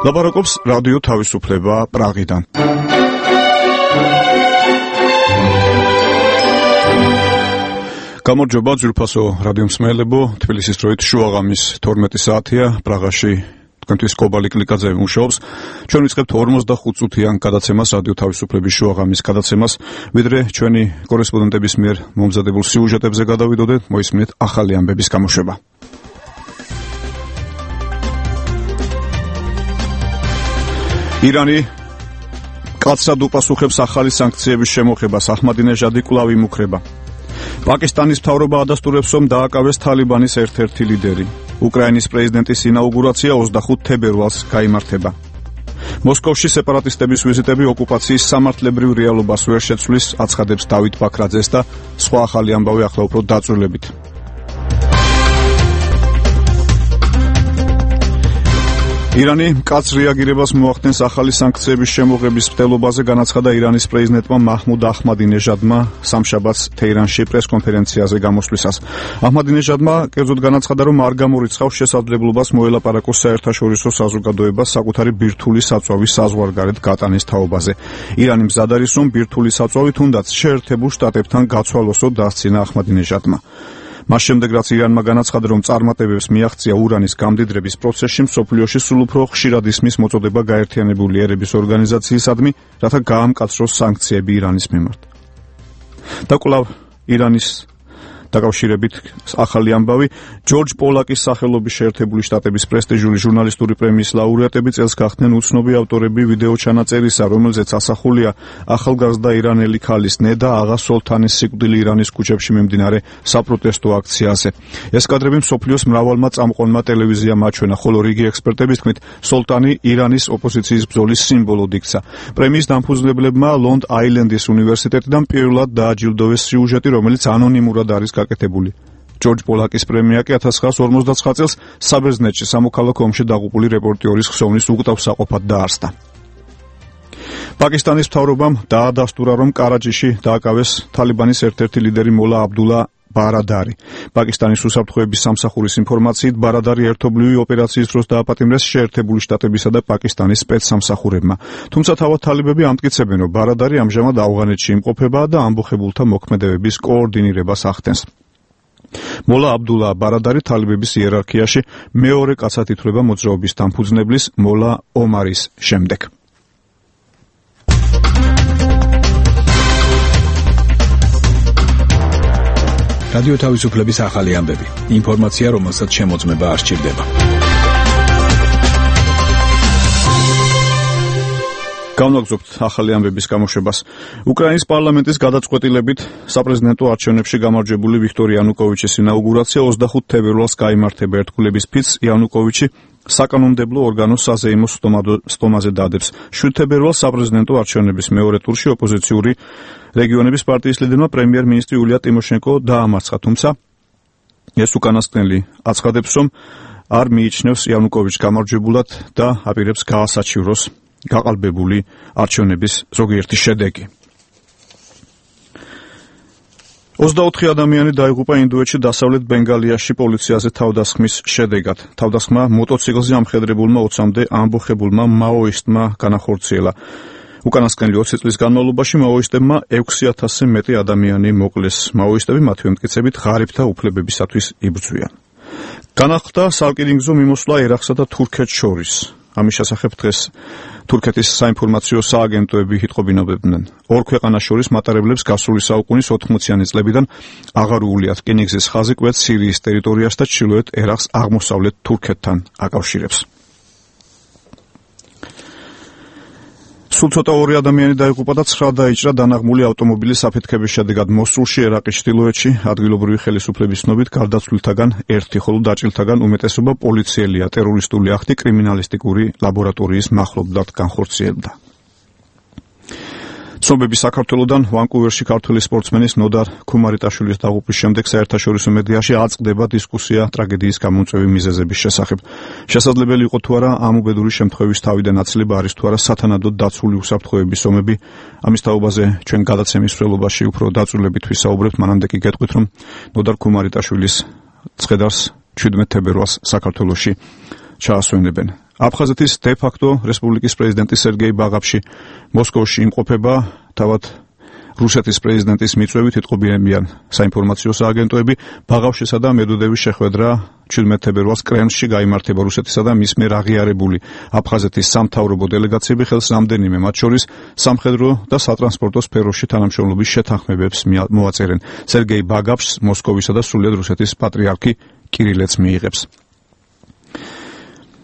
ლაპარაკობს რადიო თავისუფლება პრაღიდან. გამარჯობა ძვირფასო რადიო მსმენელებო, თბილისის დროით შუაღამის 12 საათია, პრაღაში თქვენთვის კობალი კლიკაძე მუშაობს. ჩვენ ვიწყებთ 45 წუთიან გადაცემას, რადიო თავისუფლების შუაღამის გადაცემას, ვიდრე ჩვენი კორესპონდენტების მიერ მომზადებულ სიუჟეტებზე გადავიდოდეთ, მოისმინეთ ახალი ამბების გამოშვება. ირანი კაცრად უპასუხებს ახალი სანქციების შემოღებას, აჰმადინეჟადი კვლავ იმუქრება. პაკისტანის მთავრობა ადასტურებს, რომ დააკავეს თალიბანის ერთ-ერთი ლიდერი. უკრაინის პრეზიდენტის ინაუგურაცია 25 თებერვალს გაიმართება. მოსკოვში სეპარატისტების ვიზიტები ოკუპაციის სამართლებრივ რეალობას ვერ შეცვლის, აცხადებს დავით ბაქრაძეს და სხვა ახალი ამბავი ახლა უფრო დაწვრილებით. ირანი მკაცრ რეაგირებას მოახდენს ახალი სანქციების შემოღების მცდელობაზე, განაცხადა ირანის პრეზიდენტმა მაჰმუდ აჰმადინეჟადმა სამშაბათს თეირანში პრესკონფერენციაზე გამოსვლისას. აჰმადინეჟადმა კერძოდ განაცხადა, რომ არ გამორიცხავს შესაძლებლობას მოელაპარაკოს საერთაშორისო საზოგადოებას საკუთარი ბირთვული საწვავის საზღვარგარეთ გატანის თაობაზე. ირანი მზად არის, რომ ბირთვული საწვავი თუნდაც შეერთებულ შტატებთან გაცვალოსო დასცინა აჰმადინეჟადმა. მას შემდეგ, რაც ირანმა განაცხადა, რომ წარმატებებს მიაღწია ურანის გამდიდრების პროცესში, მსოფლიოში სულ უფრო ხშირად ისმის მოწოდება გაერთიანებული ერების ორგანიზაციისადმი, რათა გაამკაცროს სანქციები ირანის მიმართ. და კვლავ ირანის დაკავშირებით ახალი ამბავი, ჯორჯ პოლაკის სახელობის შეერთებული შტატების პრესტიჟული ჟურნალისტური პრემიის ლაურეატები წელს გახდნენ უცნობი ავტორები ვიდეო ჩანაწერისა, რომელზეც ასახულია ახალგაზრდა ირანელი ქალის ნედა აღა სოლთანის სიკვდილი ირანის ქუჩებში მიმდინარე საპროტესტო აქციაზე. ეს კადრები მსოფლიოს მრავალმა წამყვანმა ტელევიზიამ აჩვენა, ხოლო რიგი ექსპერტების თქმით, სოლთანი ირანის ოპოზიციის ბრძოლის სიმბოლოდ იქცა. პრემიის დამფუძნებლებმა ლონგ აილენდის უნივერსიტეტიდან პირველად დააჯილდოვეს სიუჟეტი, რომელიც ანონიმურად არის გაკეთებული. ჯორჯ პოლაკის პრემია კი 1959 წელს საბერძნეთში სამოქალაქო ომში დაღუპული რეპორტიორის ხსოვნის უკტავსაყოფად დაარსდა. პაკისტანის მთავრობამ დაადასტურა, რომ კარაჯიში დააკავეს თალიბანის ერთ-ერთი ლიდერი მოლა აბდულა ბარადარი. პაკისტანის უსაფრთხოების სამსახურის ინფორმაციით, ბარადარი ერთობლივი ოპერაციის დროს დააპატიმრეს შეერთებული შტატებისა და პაკისტანის სპეცსამსახურებმა. თუმცა თავად თალიბები ამტკიცებენ, რომ ბარადარი ამჟამად ავღანეთში იმყოფება და ამბოხებულთა მოქმედებების კოორდინირებას ახდენს. მოლა აბდულა ბარადარი თალიბების იერარქიაში მეორე კაცად ითვლება მოძრაობის დამფუძნებლის მოლა ომარის შემდეგ. რადიო თავისუფლების ახალი ამბები. ინფორმაცია, რომელსაც შემოწმება არ სჭირდება. გავნაგზობთ ახალი ამბების გამოშვებას. უკრაინის პარლამენტის გადაწყვეტილებით საპრეზიდენტო არჩევნებში გამარჯვებული ვიქტორ იანუკოვიჩის ინაუგურაცია 25 თებერვალს გაიმართება. ერთგულების ფიცს იანუკოვიჩი საკანონმდებლო ორგანოს საზეიმო სტომაზე დადებს. 7 თებერვალს საპრეზიდენტო არჩევნების მეორე ტურში ოპოზიციური რეგიონების პარტიის ლიდერმა პრემიერ-მინისტრი იულია ტიმოშენკო დაამარცხა, თუმცა ეს უკანასკნელი აცხადებს, რომ არ მიიჩნევს იანუკოვიჩს გამარჯვებულად და აპირებს გაასაჩივროს გაყალბებული არჩევნების ზოგიერთი შედეგი. 24 ადამიანი დაიღუპა ინდოეთში დასავლეთ ბენგალიაში პოლიციაზე თავდასხმის შედეგად. თავდასხმა მოტოციკლზე ამხედრებულმა 20-მდე ამბოხებულმა მაოისტმა განახორციელა. უკანასკნელი 20 წლის განმავლობაში მაოისტებმა 6000-ზე მეტი ადამიანი მოკლეს. მაოისტები მათივე მტკიცებით ღარიბთა უფლებებისათვის იბრძვიან. განახლდა სარკინიგზო მიმოსვლა ერაყსა და თურქეთს შორის. ამის შესახებ დღეს თურქეთის საინფორმაციო სააგენტოები იტყობინებდნენ. ორ ქვეყანას შორის მატარებლებს გასული საუკუნის 80-იანი წლებიდან აღარ უულიათ რკინიგზის ხაზი კვეთს სირიის ტერიტორიას და ჩრდილოეთ ერაყს აღმოსავლეთ თურქეთთან აკავშირებს. სულ ცოტა ორი ადამიანი დაიღუპა და 9 დაიჭრა დანაღმული ავტომობილის აფეთქების შედეგად მოსულში, ერაყის ჩრდილოეთში. ადგილობრივი ხელისუფლების ცნობით გარდაცვლილთაგან ერთი, ხოლო დაჭრილთაგან უმეტესობა პოლიციელია. ტერორისტული აქტი კრიმინალისტიკური ლაბორატორიის მახლობლად განხორციელდა. ცნობები საქართველოდან ვანკუვერში ქართველი სპორტსმენის ნოდარ ქუმარიტაშვილის დაღუპვის შემდეგ საერთაშორისო მედიაში აწყდება დისკუსია ტრაგედიის გამომწვევი მიზეზების შესახებ. შესაძლებელი იყო თუ არა ამ უბედური შემთხვევის თავიდან აცილება არის თუ არა სათანადოდ დაცული უსაფრთხოების ომები. ამის თაობაზე ჩვენ გადაცემის მსვლელობაში უფრო დაწვრილებით ვისაუბრებთ. მანამდე კი გეტყვით, რომ ნოდარ ქუმარიტაშვილის ცხედარს 17 თებერვალს საქართველოში ჩაასვენებენ. აფხაზეთის დე-ფაქტო რესპუბლიკის პრეზიდენტი სერგეი ბაღაფში მოსკოვში იმყოფება, თავად რუსეთის პრეზიდენტის მიწვევით იტყობინებიან საინფორმაციო სააგენტოები. ბაღავშისა და მედუდევის შეხვედრა 17 თებერვალს კრემლში გაიმართება. რუსეთისა და მის მიერ აღიარებული აფხაზეთის სამთავრობო დელეგაციები ხელს რამდენიმე, მათ შორის სამხედრო და სატრანსპორტო სფეროში თანამშრომლობის შეთანხმებებს მოაწერენ. სერგეი ბაღავშს მოსკოვისა და სრულიად რუსეთის პატრიარქი კირილეც მიიღებს.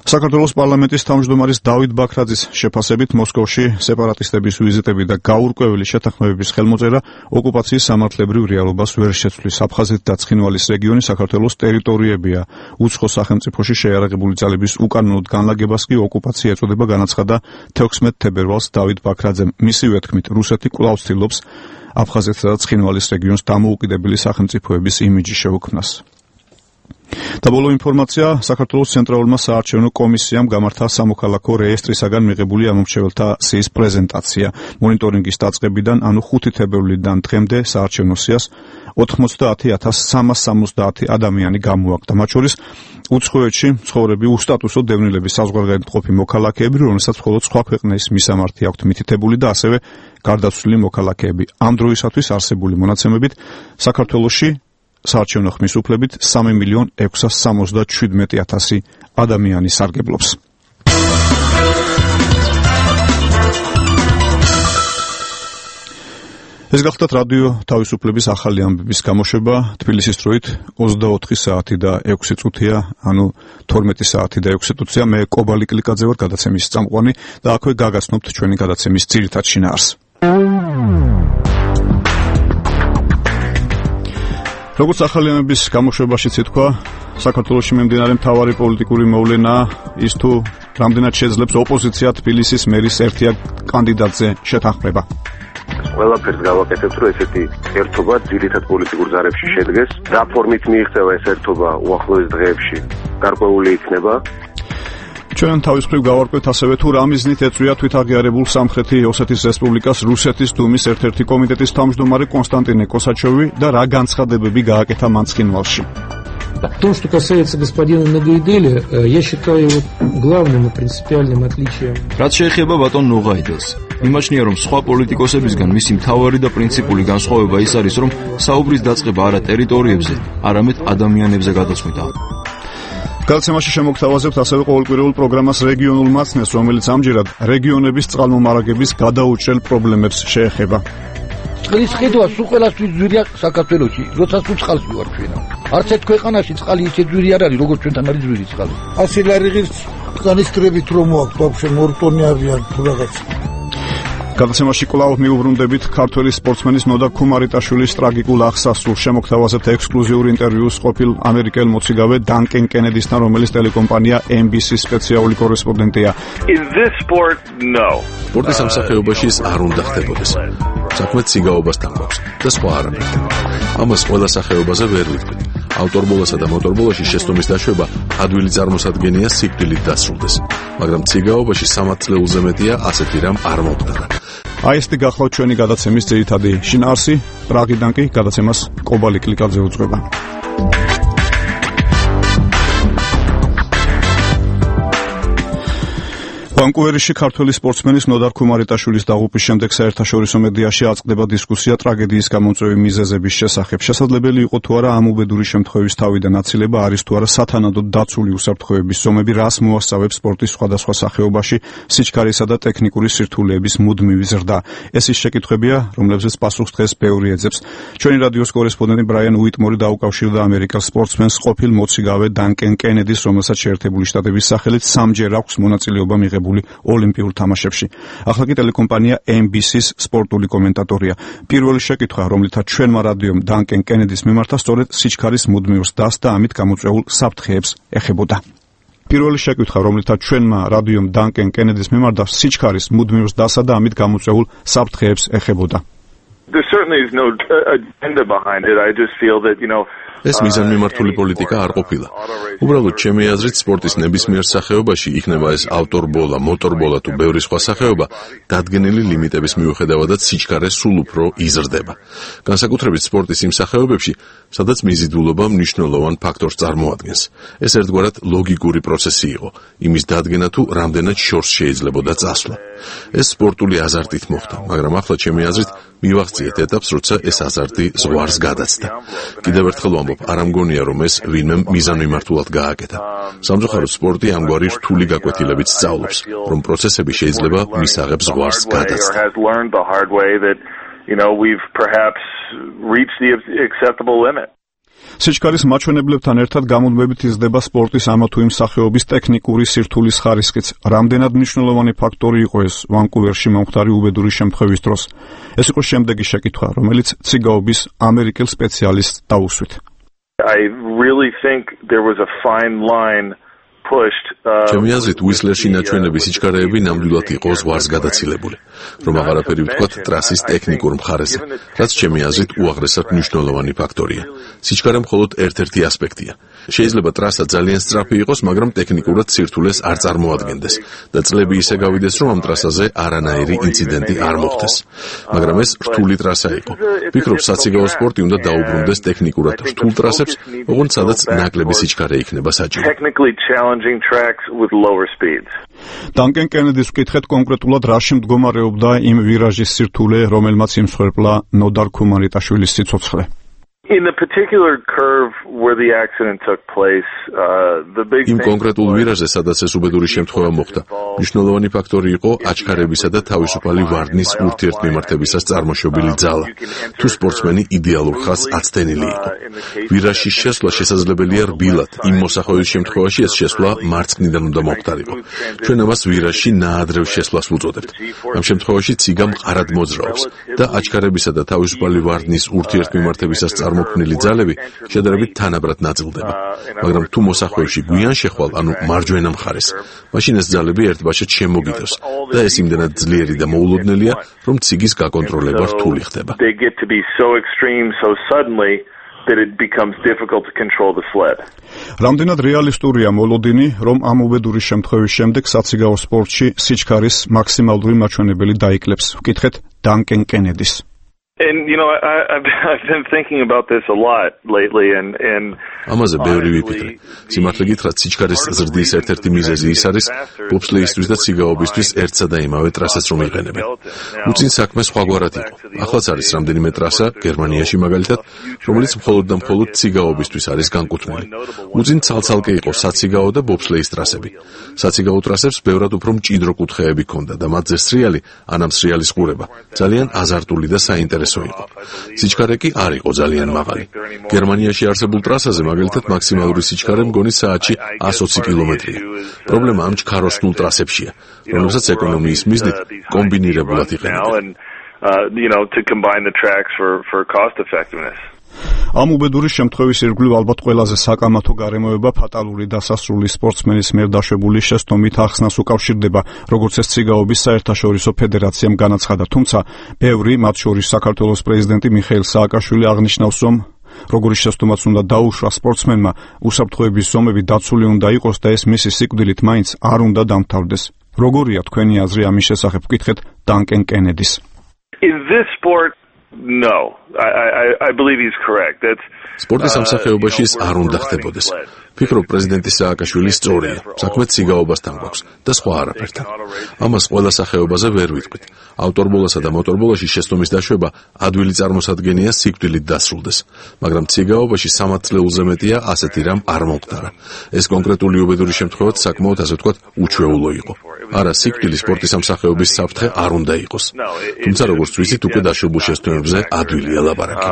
საქართველოს პარლამენტის თავმჯდომარის დავით ბაქრაძის შეფასებით მოსკოვში სეპარატისტების ვიზიტები და გაურკვეველი შეთანხმებების ხელმოწერა ოკუპაციის სამართლებრივ რეალობას ვერ შეცვლის. აფხაზეთი და ცხინვალის რეგიონი საქართველოს ტერიტორიებია. უცხო სახელმწიფოში შეიარაღებული ძალების უკანონოდ განლაგებას კი ოკუპაცია ეწოდება, განაცხადა 16 თებერვალს დავით ბაქრაძემ. მისივე თქმით, რუსეთი კვლავ ცდილობს აფხაზეთსა და ცხინვალის რეგიონს დამოუკიდებელი სახელმწიფოების იმიჯი შეუქმნას. და ბოლო ინფორმაცია, საქართველოს ცენტრალურმა საარჩევნო კომისიამ გამართა სამოქალაქო რეესტრისაგან მიღებული ამომრჩეველთა სიის პრეზენტაცია. მონიტორინგის დაწყებიდან, ანუ 5 თებერვლიდან დღემდე საარჩევნო სიას 90,370 ადამიანი გამოაკლდა. მათ შორის უცხოეთში მცხოვრები უსტატუსო დევნილების საზღვარგარეთმყოფი მოქალაქეები, რომელსაც მხოლოდ სხვა ქვეყნის მისამართი აქვთ მითითებული და ასევე გარდაცვლილი მოქალაქეები. ამ დროისათვის არსებული მონაცემებით საქართველოში საარჩევნო ხმის უფლებით 3,677,000 ადამიანი სარგებლობს. ეს გახლდათ რადიო თავისუფლების ახალი ამბების გამოშვება. თბილისის დროით 24 საათი და 6 წუთია, ანუ 12 საათი და 6 წუთია. მე კობალი კლიკაძე ვარ, გადაცემის წამყვანი და აქვე გაგაცნობთ ჩვენი გადაცემის ძირითად შინაარსს. როგორც ახალი ამბების გამოშვებაშიც ითქვა, საქართველოში მიმდინარე მთავარი პოლიტიკური მოვლენაა ის თუ რამდენად შეძლებს ოპოზიცია თბილისის მერის ერთიან კანდიდატზე შეთანხმება. ყველაფერს გავაკეთებთ, რომ ესეთი ერთობა ძირითად პოლიტიკურ ზარებში შედგეს. რა ფორმით მიიღწევა ეს ერთობა უახლოეს დღეებში გარკვეული იქნება. ჩვენ თავის მხრივ გავარკვევთ ასევე თუ რა მიზნით ეწვია თვითაღიარებულ სამხრეთი ოსეთის რესპუბლიკას რუსეთის დუმის ერთ-ერთი კომიტეტის თავმჯდომარე კონსტანტინე კოსაჩოვი და რა განცხადებები გააკეთა მან ცხინვალში. В том, что касается господина Ногайделя, я считаю главным и принципиальным отличием. რაც შეეხება ბატონ ნოღაიდელს, იმაჩნია, რომ სხვა პოლიტიკოსებისგან მისი მთავარი და პრინციპული განსხვავება ის არის, რომ საუბრის დაწყება არა ტერიტორიებზე, არამედ ადამიანებზე გადაწყვეტა. გადაცემაში შემოგთავაზებთ ასევე ყოველკვირეულ პროგრამას რეგიონულ მაცნეს, რომელიც ამჯერად რეგიონების წყალმომარაგების გადაუჭრელ პრობლემებს შეეხება. წყლის ხედვა სულ ყველასთვის ძვირია საქართველოში, როცა თუ წყალს მივარჩენა. არც ერთ ქვეყანაში წყალი ისე ძვირი არ არის, როგორც ჩვენთან არის ძვირი წყალი. 100 ლარიღის განისტრებით რომ მოაქვს ბავშვი მორტონი ავიან თუ რაღაც. გადაცემაში კვლავ მიუბრუნდებით ქართველი სპორტსმენის ნოდა ქუმარიტაშვილის ტრაგიკულ აღსასრულს. შემოგთავაზებთ ექსკლუზიური ინტერვიუს ყოფილ ამერიკელ მოციგავე დანკენ კენედისთან, რომელიც ტელეკომპანია NBC-ის სპეციალური კორესპონდენტია. სპორტის სამსახიობაში ის არ უნდა ხდებოდეს. საქმე ციგაობასთან გვაქვს და სხვა არაფერთან. ამას ყველა სახეობაზე ვერ ვიტყვით. ავტორბოლასა და მოტორბოლაში შეცდომის დაშვება ადვილი წარმოსადგენია სიკვდილით დასრულდეს. მაგრამ ციგაობაში 3 წლეულზე მეტია ასეთი რამ არ მომხდარა. აი ესეთი გახლავთ ჩვენი გადაცემის ძირითადი შინაარსი. პრაღიდან კი გადაცემას კობალი კლიკაძე უძღვება. ვანკუვერში ქართველი სპორტსმენის ნოდარ ქუმარიტაშვილის დაღუპვის შემდეგ საერთაშორისო მედიაში აწყდება დისკუსია ტრაგედიის გამომწვევი მიზეზების შესახებ. შესაძლებელი იყო თუ არა ამ უბედური შემთხვევის თავიდან აცილება, არის თუ არა სათანადოდ დაცული უსაფრთხოების ზომები, რას მოასწავებს სპორტის სხვადასხვა სახეობაში სიჩქარისა და ტექნიკური სირთულეების მუდმივი ზრდა. ეს ის შეკითხვებია, რომლებზეც პასუხს დღეს ბევრი ეძებს. ჩვენი რადიოს კორესპონდენტი ბრაიან უიტმორი დაუკავშირდა ამერიკელ სპორტსმენს ყოფილ მოციგავე დანკენ კენედის, რომელსაც შეერთებული შტატების სახელით 3-ჯერ აქვს მონაწილეობა მიღებული ოლიმპიურ თამაშებში. ახლა კი ტელეკომპანია NBC-ის სპორტული კომენტატორია. პირველი შეკითხვა, რომლითაც ჩვენმა რადიომ დანკენ კენედის მიმართა, სწორედ სიჩქარის მუდმივ ზრდას და ამით გამოწვეულ საფრთხეებს ეხებოდა. პირველი შეკითხვა, რომლითაც ჩვენმა რადიომ დანკენ კენედის მიმართა, სიჩქარის მუდმივ ზრდასა და ამით გამოწვეულ საფრთხეებს ეხებოდა. There certainly is no agenda behind it. I just feel that, ეს მიზანმიმართული პოლიტიკა არ ყოფილა. უბრალოდ ჩემი აზრით სპორტის ნებისმიერ სახეობაში, იქნება ეს ავტორბოლა, მოტორბოლა თუ ბევრი სხვა სახეობა, დადგენილი ლიმიტების მიუხედავადაც სიჩქარე სულ უფრო იზრდება. განსაკუთრებით სპორტის იმ სახეობებში, სადაც მიზიდულობა მნიშვნელოვან ფაქტორს წარმოადგენს. ეს ერთგვარად ლოგიკური პროცესი იყო, იმის დადგენა თუ რამდენად შორს შეიძლებოდა წასვლა. ეს სპორტული აზარტით მოხდა, მაგრამ ახლა ჩემი აზრით მივაღწიეთ ეტაპს, როცა ეს აზარტი ზღვარს გადაცდა. კიდევ ერთხელ ვამბობ, არ ამგონია რომ ეს ვინმე მიზანმიმართულად გააკეთა. სამწუხაროდ სპორტი ამგვარი რთული გაკვეთილებით სწავლობს, რომ პროცესები შეიძლება მისაღებს ზღვარს გადაცდა. სიჩქარის მაჩვენებლებთან ერთად გამუდმებით იზრდება სპორტის ამა თუ იმ სახეობის ტექნიკური სირთულის ხარისხიც. რამდენად მნიშვნელოვანი ფაქტორი იყო ეს ვანკუვერში მომხდარი უბედური შემთხვევის დროს? ეს იყო შემდეგი შეკითხვა, რომელიც ციგაობის ამერიკელ სპეციალისტს დაუსვით. I really think there was a fine line pushed. ჩემი აზრით უისლერში ნაჩვენები სიჩქარეები ნამდვილად იყო ზღვარს გადაცილებული, რომ აღარაფერი ვთქვათ ტრასის ტექნიკურ მხარეზე, რაც ჩემი აზრით უაღრესად მნიშვნელოვანი ფაქტორია. სიჩქარე მხოლოდ ერთ-ერთი ასპექტია. შეიძლება ტრასა ძალიან სწრაფი იყოს, მაგრამ ტექნიკურად სირთულეს არ წარმოადგენდეს და წლები ისე გავიდეს, რომ ამ ტრასაზე არანაირი ინციდენტი არ მოხდეს. მაგრამ ეს რთული ტრასა იყო. ვფიქრობ, საციგაო სპორტი უნდა დაუბრუნდეს ტექნიკურად რთულ ტრასებს, ოღონდ სადაც ნაკლები სიჩქარე იქნება საჭირო. დანკენ კენედის ვკითხეთ კონკრეტულად რაში მდგომარეობდა იმ ვირაჟის სირთულე, რომელმაც იმსხვერპლა ნოდარ ქუმარიტაშვილის სიცოცხლე. In the particular curve where the accident took place, the big იმ კონკრეტულ ვირაჟზე, სადაც ეს უბედური შემთხვევა მოხდა, მნიშვნელოვანი ფაქტორი იყო აჩქარებისა და თავისუფალი ვარდნის ურთიერთმიმართებისას წარმოშობილი ძალა. თუ სპორტსმენი იდეალურ ხაზს აცდენილი იყო. ვირაჟის შესვლა შესაძლებელია რბილად, იმ მოსახვევის შემთხვევაში ეს შესვლა მარცხნიდან უნდა მოხდარიყო. ჩვენ ამას ვირაჟში ნაადრევ შესვლას ვუწოდებთ. ამ შემთხვევაში ციგა მყარად მოძრაობს და აჩქარებისა და თავისუფალი ვარდნის ურთიერთმიმართებისას წარმოქმნილი ძალები შედარებით თანაბრად ნაწილდება. მაგრამ თუ მოსახვევში გვიან შეხვალ, ანუ მარჯვენა მხარეს, მაშინ ეს ძალები ერთბაშად შემოგიდევს და ეს იმდენად ძლიერი და მოულოდნელია, რომ ციგის გაკონტროლება რთული ხდება. that it becomes difficult to control the sled. რამდენად რეალისტურია მოლოდინი, რომ ამ უბედური შემთხვევის შემდეგ საციგაო სპორტში სიჩქარის მაქსიმალური მაჩვენებელი დაიკლებს? ვკითხეთ დანკენ კენედის. And I've been thinking about this a lot lately and ამაზე ბევრი ვიფიქრე. სიმართლე გითხრათ, სიჩქარის ზრდის ერთ-ერთი მიზეზი ის არის ბობსლეისთვის და ციგაობისთვის ერთსა და იმავე ტრასას რომ იყენებენ. უწინ საქმე სხვაგვარად იყო. ახლაც არის რამდენიმე ტრასა გერმანიაში მაგალითად, რომელიც მხოლოდ და მხოლოდ ციგაობისთვის არის განკუთვნილი. უწინ ცალ-ცალკე იყო საციგაო და ბობსლეის ტრასები. საციგაო ტრასებს ბევრად უფრო მჭიდრო კუთხეები ჰქონდა და მათზე სრიალი, ანამ სრიალის ყურება ძალიან აზარტული და საინტერესო იყო. სიჩქარე კი არ იყო ძალიან მაღალი. გერმანიაში არსებულ ტრასაზე მაგალითად მაქსიმალური სიჩქარე მგონი საათში 120 კილომეტრია. პრობლემა ამ ჩქაროსნულ ტრასებშია, რომელსაც ეკონომიის მიზნით კომბინირებულად იყენებენ. To combine the tracks for cost effectiveness. ამ უბედური შემთხვევის ირგვლივ ალბათ ყველაზე საკამათო გარემოება ფატალური დასასრული სპორტსმენის მიერ დაშვებული შეცდომით ახსნას უკავშირდება, როგორც ეს ციგაობის საერთაშორისო ფედერაციამ განაცხადა. თუმცა, ბევრი, მათ შორის საქართველოს პრეზიდენტი მიხეილ სააკაშვილი აღნიშნავს, რომ როგორი შეცდომაც უნდა დაუშვა სპორტსმენმა, უსაფრთხოების ზომები დაცული უნდა იყოს და ეს მისი სიკვდილით მაინც არ უნდა დამთავრდეს. როგორია თქვენი აზრი ამის შესახებ? ვკითხეთ დანკენ კენედის. In this sport, no. I believe he's correct. That's სპორტის სამსახეობაში ეს არ უნდა ხდებოდეს. ვფიქრობ, პრეზიდენტი სააკაშვილი სწორია. საქმე ციგაობასთან გვაქვს და სხვა არაფერთან. ამას ყველა სახეობაზე ვერ ვიტყვით. ავტორბოლასა და მოტორბოლაში შეცდომის დაშვება ადვილი წარმოსადგენია სიკვდილით დასრულდეს. მაგრამ ციგაობაში 3 წლეულზე მეტია ასეთი რამ არ მომხდარა. ეს კონკრეტული უბედური შემთხვევაც საკმაოდ ასე ვთქვათ უჩვეულო იყო. არა, სიკვდილი სპორტის სამსახეობის საფრთხე არ უნდა იყოს. თუმცა როგორც ვიცით, უკვე დაშვებულ შეცდომებზე ადვილია ლაპარაკი.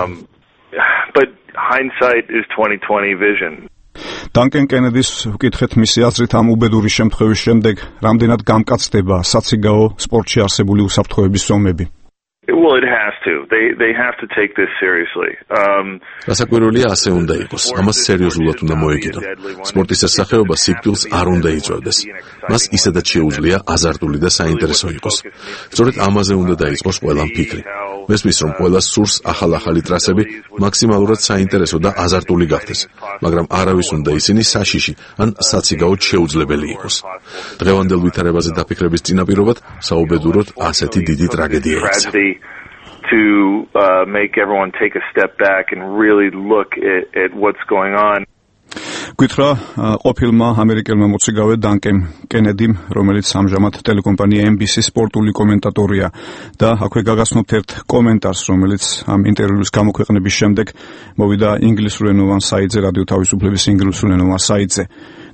But hindsight is 20/20 vision. დანკენ კენედის ვკითხეთ მისი აზრით ამ უბედური შემთხვევის შემდეგ რამდენად გამკაცდება საციგაო სპორტში არსებული უსაფრთხოების ზომები? Well, it has to. They have to take this seriously. გასაკვირველია ასე უნდა იყოს. ამას სერიოზულად უნდა მოეკიდონ. სპორტის ეს სახეობა სიკვდილს არ უნდა იწვევდეს. მას ისედაც შეუძლია აზარტული და საინტერესო იყოს. სწორედ ამაზე უნდა დაიწყოს ყველამ ფიქრი. მესმის, რომ ყველას სურს ახალ-ახალი ტრასები მაქსიმალურად საინტერესო და აზარტული გახდეს, მაგრამ არავის უნდა ისინი საშიში ან საციგაოდ შეუძლებელი იყოს. დღევანდელ ვითარებაზე დაფიქრების წინაპირობად საუბედუროთ ასეთი დიდი ტრაგედია იქცა. To make everyone take a step back and really look at what's going on. გითხრა ყოფილმა ამერიკელმა მოციგავე დანკენ კენედიმ, რომელიც ამჟამად ტელეკომპანია NBC-ის სპორტული კომენტატორია და აქვე გაგაცნობთ ერთ კომენტარს, რომელიც ამ ინტერვიუს გამოქვეყნების შემდეგ მოვიდა ინგლისურენოვან საიტზე, რადიო თავისუფლების ინგლისურენოვან საიტზე.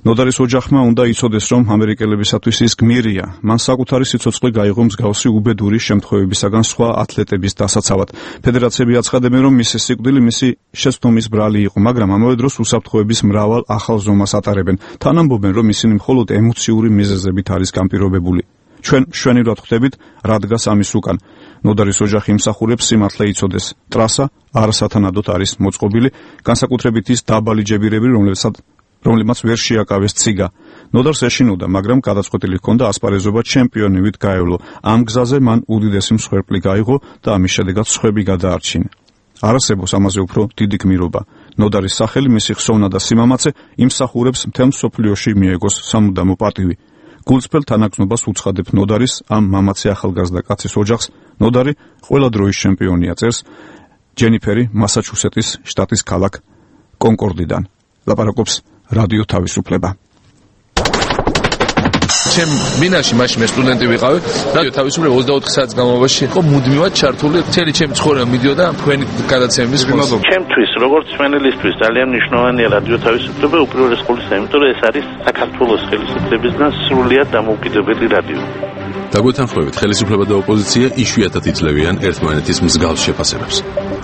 ნოდარის ოჯახმა უნდა იცოდეს, რომ ამერიკელებისათვის ის გმირია. მან საკუთარი სიცოცხლე გაიღო მსგავსი უბედური შემთხვევებისაგან სხვა ათლეტების დასაცავად. ფედერაციები აცხადებენ, რომ მისი სიკვდილი მისი შეცდომის ბრალი იყო, მაგრამ ამავე დროს უსაფრთხოების მრავალ ახალ ზომას ატარებენ. თან ამბობენ, რომ ისინი მხოლოდ ემოციური მიზეზებით არის განპირობებული. ჩვენ მშვენივრად ხვდებით, რა დგას ამის უკან. ნოდარის ოჯახი იმსახურებს სიმართლე იცოდეს. ტრასა არასათანადოდ არის მოწყობილი, განსაკუთრებით ის დაბალი ჯებირები, რომლებმაც ვერ შეაკავეს ციგა. ნოდარს ეშინოდა, მაგრამ გადაწყვეტილი ჰქონდა ასპარეზობა ჩემპიონივით გაევლო. ამ გზაზე მან უდიდესი მსხვერპლი გაიღო და ამის შედეგად სხვები გადაარჩინა. არასებობს ამაზე უფრო დიდი გმირობა. ნოდარის სახელი, მისი ხსოვნა და სიმამაცე იმსახურებს მთელ მსოფლიოში მიეგოს სამუდამო პატივი. გულწრფელ თანაგზნობას უცხადებ ნოდარის ამ მამაცი ახალგაზრდა კაცის ოჯახს. ნოდარი ყველა დროის ჩემპიონია, წერს ჯენიფერი მასაჩუსეტის შტატის ქალაქ კონკორდიდან. ლაპარაკობს რადიო თავისუფლება. ჩემ მინაში მაშინ მე სტუდენტი ვიყავი, რადიო თავისუფლება 24 საათის განმავლობაში იყო მუდმივად ჩართული, მთელი ჩემი ცხოვრება მიდიოდა თქვენი გადაცემების ხმაზე. ჩემთვის, როგორც მენელისთვის, ძალიან მნიშვნელოვანია რადიო თავისუფლება უპირველეს ყოვლისა, იმიტომ რომ ეს არის საქართველოს ხელისუფლებისგან სრულიად დამოუკიდებელი რადიო. დაგვეთანხმებით, ხელისუფლება და ოპოზიცია იშვიათად იძლევიან ერთმანეთის მსგავს შეფასებებს.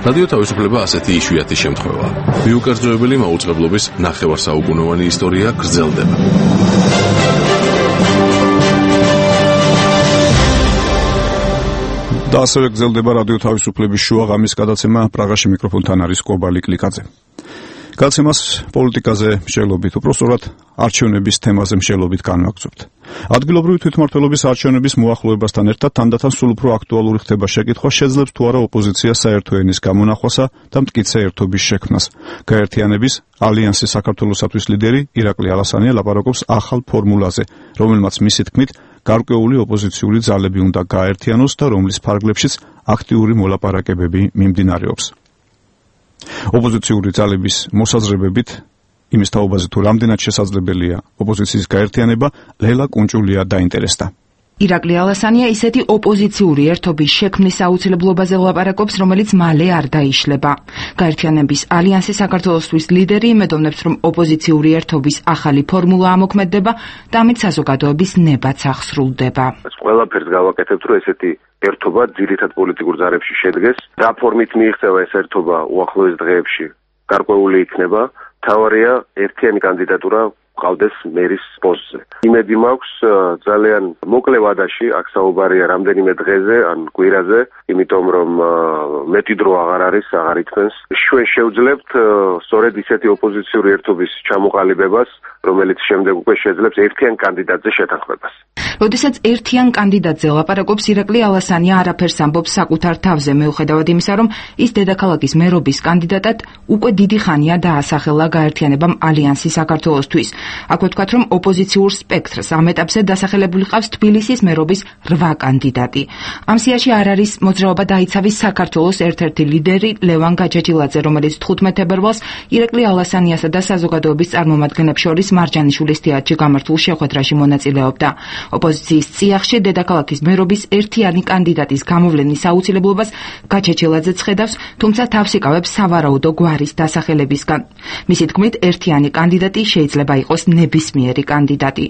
რადიო თავისუფლება ასეთი იშვიათი შემთხვევაა. მიუკერძოებელი მაუწყებლობის ნახევარსაუკუნოვანი ისტორია გრძელდება. და ასევე გრძელდება რადიო თავისუფლების შუაღამის გადაცემა. პრაღაში მიკროფონთან არის კობალი კლიკაძე. გადაცემას პოლიტიკაზე მსჯელობით, უпростоრად არჩევნების თემაზე მსჯელობით განვაგრძობთ. ადგილობრივი თვითმმართველობის არჩევნების მოახლოებასთან ერთად თანდათან სულ უფრო აქტუალური ხდება შეკითხვა, შეძლებს თუ არა ოპოზიცია საერთო ენის გამონახვასა და მტკიცე ერთობის შექმნას. გაერთიანების ალიანსის საქართველოსათვის ლიდერი ირაკლი ალასანია ლაპარაკობს ახალ ფორმულაზე, რომელმაც მისი თქმით გარკვეული ოპოზიციური ძალები უნდა გაერთიანოს და რომლის ფარგლებშიც აქტიური მოლაპარაკებები მიმდინარეობს. ოპოზიციური ძალების მოსაზრებებით იმის თაობაზე თუ რამდენად შესაძლებელია ოპოზიციის გაერთიანება, ლელა კუნჭულია დაინტერესდა. ირაკლი ალასანია ისეთი ოპოზიციური ერთობის შექმნის აუცილებლობაზე ლაპარაკობს, რომელიც მალე არ დაიშლება. გაერთიანების ალიანსის საქართველოსთვის ლიდერი იმედოვნებს, რომ ოპოზიციური ერთობის ახალი ფორმულა ამოქმედდება და ამით საზოგადოების ნებაც აღსრულდება. ყველაფერს გავაკეთებთ, რომ ესეთი ერთობა ძირითად პოლიტიკურ ზარებში შედგეს. რა ფორმით მიიღწევა ეს ერთობა უახლოეს დღეებში გარკვეული იქნება. თავარია ერთიანი კანდიდატურა ყავდეს მერის პოსტზე. იმედი მაქვს ძალიან მოკლე ვადაში, აქ საუბარია რამდენიმე დღეზე ან კვირაზე, იმიტომ რომ მეტი დრო აღარ არის, აღარ ითქმენს. ჩვენ შევძლებთ სწორედ ისეთი ოპოზიციური ერთობის ჩამოყალიბებას, რომელიც შემდეგ უკვე შეძლებს ერთიან კანდიდატზე შეთანხმებას. როდესაც ერთიან კანდიდატზე ლაპარაკობს, ირაკლი ალასანია არაფერს ამბობს საკუთარ თავზე, მიუხედავად იმისა, რომ ის დედაქალაქის მერობის კანდიდატად უკვე დიდი ხანია დაასახელა გაერთიანებამ ალიანსი საქართველოსთვის. აქვე ვთქვათ, რომ ოპოზიციურ სპექტრს ამ ეტაპზე დასახელებული ყავს თბილისის მერობის 8 კანდიდატი. ამ სიაში არ არის მოძრაობა დაიცავის საქართველოს ერთ-ერთი ლიდერი ლევან გაჯაჯილაძე, რომელიც 15 თებერვალს ირაკლი ალასანიასა და საზოგადოების წარმომადგენლებს შორის მარჯანიშვილის თეატრში გამართულ შეხვედრაში მონაწილეობდა. ოპოზიციის წიაღში დედაქალაქის მერობის ერთიანი კანდიდატის გამოვლენის აუცილებლობას გაჯაჯილაძე ხედავს, თუმცა თავს იკავებს სავარაუდო გვარის დასახელებისგან. მისი თქმით, ერთიანი კანდიდატი შეიძლება იყოს ნებისმიერი კანდიდატი.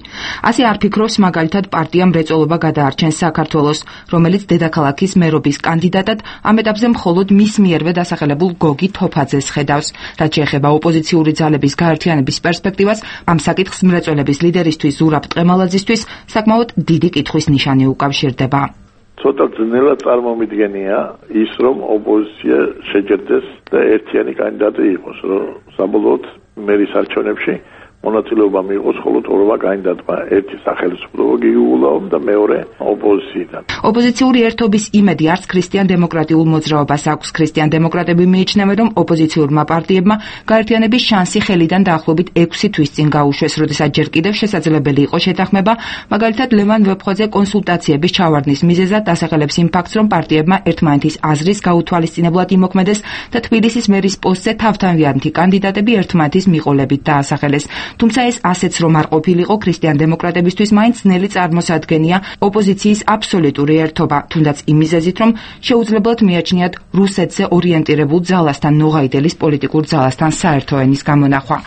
ასე არ ფიქრობს მაგალითად პარტია მრეწველობა გადაარჩენს საქართველოს, რომელიც დედაქალაქის მერობის კანდიდატად ამ ეტაპზე მხოლოდ მის მიერვე დასახელებულ გოგი თოფაძეს ხედავს. რაც შეეხება ოპოზიციური ძალების გაერთიანების პერსპექტივას, ამ საკითხს მრეწველების ლიდერისთვის ზურაბ ტყემალაძისთვის საკმაოდ დიდი კითხვის ნიშანი უკავშირდება. ცოტა ძნელად წარმომიდგენია ის, რომ ოპოზიცია შეჯერდეს და ერთიანი კანდიდატი იყოს, რომ საბოლოოდ მერის არჩევნებში მონაწილეობა მიიღოს მხოლოდ ორმა კანდიდატმა, ერთი სახელმწიფო გიულაომ და მეორე ოპოზიციიდან. ოპოზიციური ერთობის იმედი არც ქრისტიან-დემოკრატიულ მოძრაობას აქვს. ქრისტიან-დემოკრატები მიიჩნევენ, რომ ოპოზიციურმა პარტიებმა გაერთიანების შანსი ხელიდან დაახლოებით 6 თვის წინ გაუშვეს, როდესაც ჯერ კიდევ შესაძლებელი იყო შეთანხმება, მაგალითად ლევან ვეფხვაძე კონსულტაციების ჩავარდნის მიზეზად დასახელებს იმ ფაქტს, რომ პარტიებმა ერთმანეთის აზრის გაუთვალისწინებლად იმოქმედეს და თბილისის მერის პოსტზე თავთავიანთი კანდიდატები ერთმანეთის მიყოლებით დაასახელეს. თუმცა ეს ასეც რომ არ ყოფილიყო, ქრისტიან-დემოკრატებისთვის მაინც ძნელი წარმოსადგენია ოპოზიციის აბსოლუტური ერთობა, თუნდაც იმ მიზეზით, რომ შეუძლებელად მიაჩნიათ რუსეთზე ორიენტირებულ ძალასთან, ნოღაიდელის პოლიტიკურ ძალასთან საერთო ენის გამონახვა.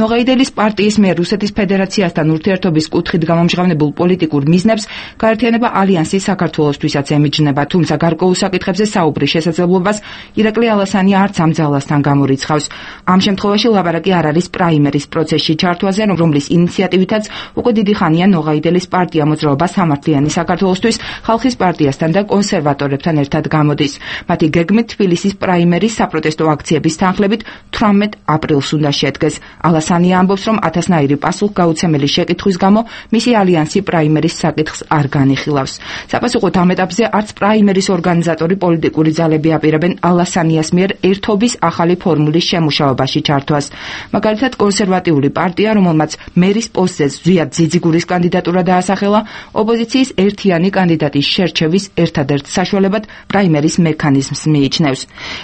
ნოღაიდელის პარტიის მიერ რუსეთის ფედერაციასთან ურთიერთობის კუთხით გამომჟღავნებულ პოლიტიკურ მიზნებს გაერთიანება ალიანსი საქართველოსთვისაც ემიჯნება, თუმცა გარკვეულ საკითხებზე საუბრის შესაძლებლობას ირაკლი ალასანია არც ამ ძალასთან გამორიცხავს. ამ შემთხვევაში ლაბარაკი არ არის პრაიმერის პროცესში ჩართვაზე, რომლის ინიციატივითაც უკვე დიდი ხანია ნოღაიდელის პარტია მოძრაობა სამართლიანი საქართველოსთვის ხალხის პარტიასთან და კონსერვატორებთან ერთად გამოდის. მათი გეგმით თბილისის პრაიმერის საპროტესტო აქციების თანხლებით 18 აპრილს უნდა შედგეს. ალასანია ამბობს, რომ ათასნაირი პასუხგაუცემელი შეკითხვის გამო მისი ალიანსი პრაიმერის საკითხს არ განიხილავს. საპასუხოდ ამ ეტაპზე არც პრაიმერის ორგანიზატორი პოლიტიკური ძალები აპირებენ ალასანიას მიერ ერთობის ახალი ფორმულის შემუშავებაში ჩართვას. მაგალითად, კონსერვატიული პარტია, რომელმაც მერის პოსტზე ზვიად ძიძიგურის კანდიდატურა დაასახელა, ოპოზიციის ერთიანი კანდიდატის შერჩევის ერთადერთ საშუალებად პრაიმერის მექანიზმს მიიჩნევს.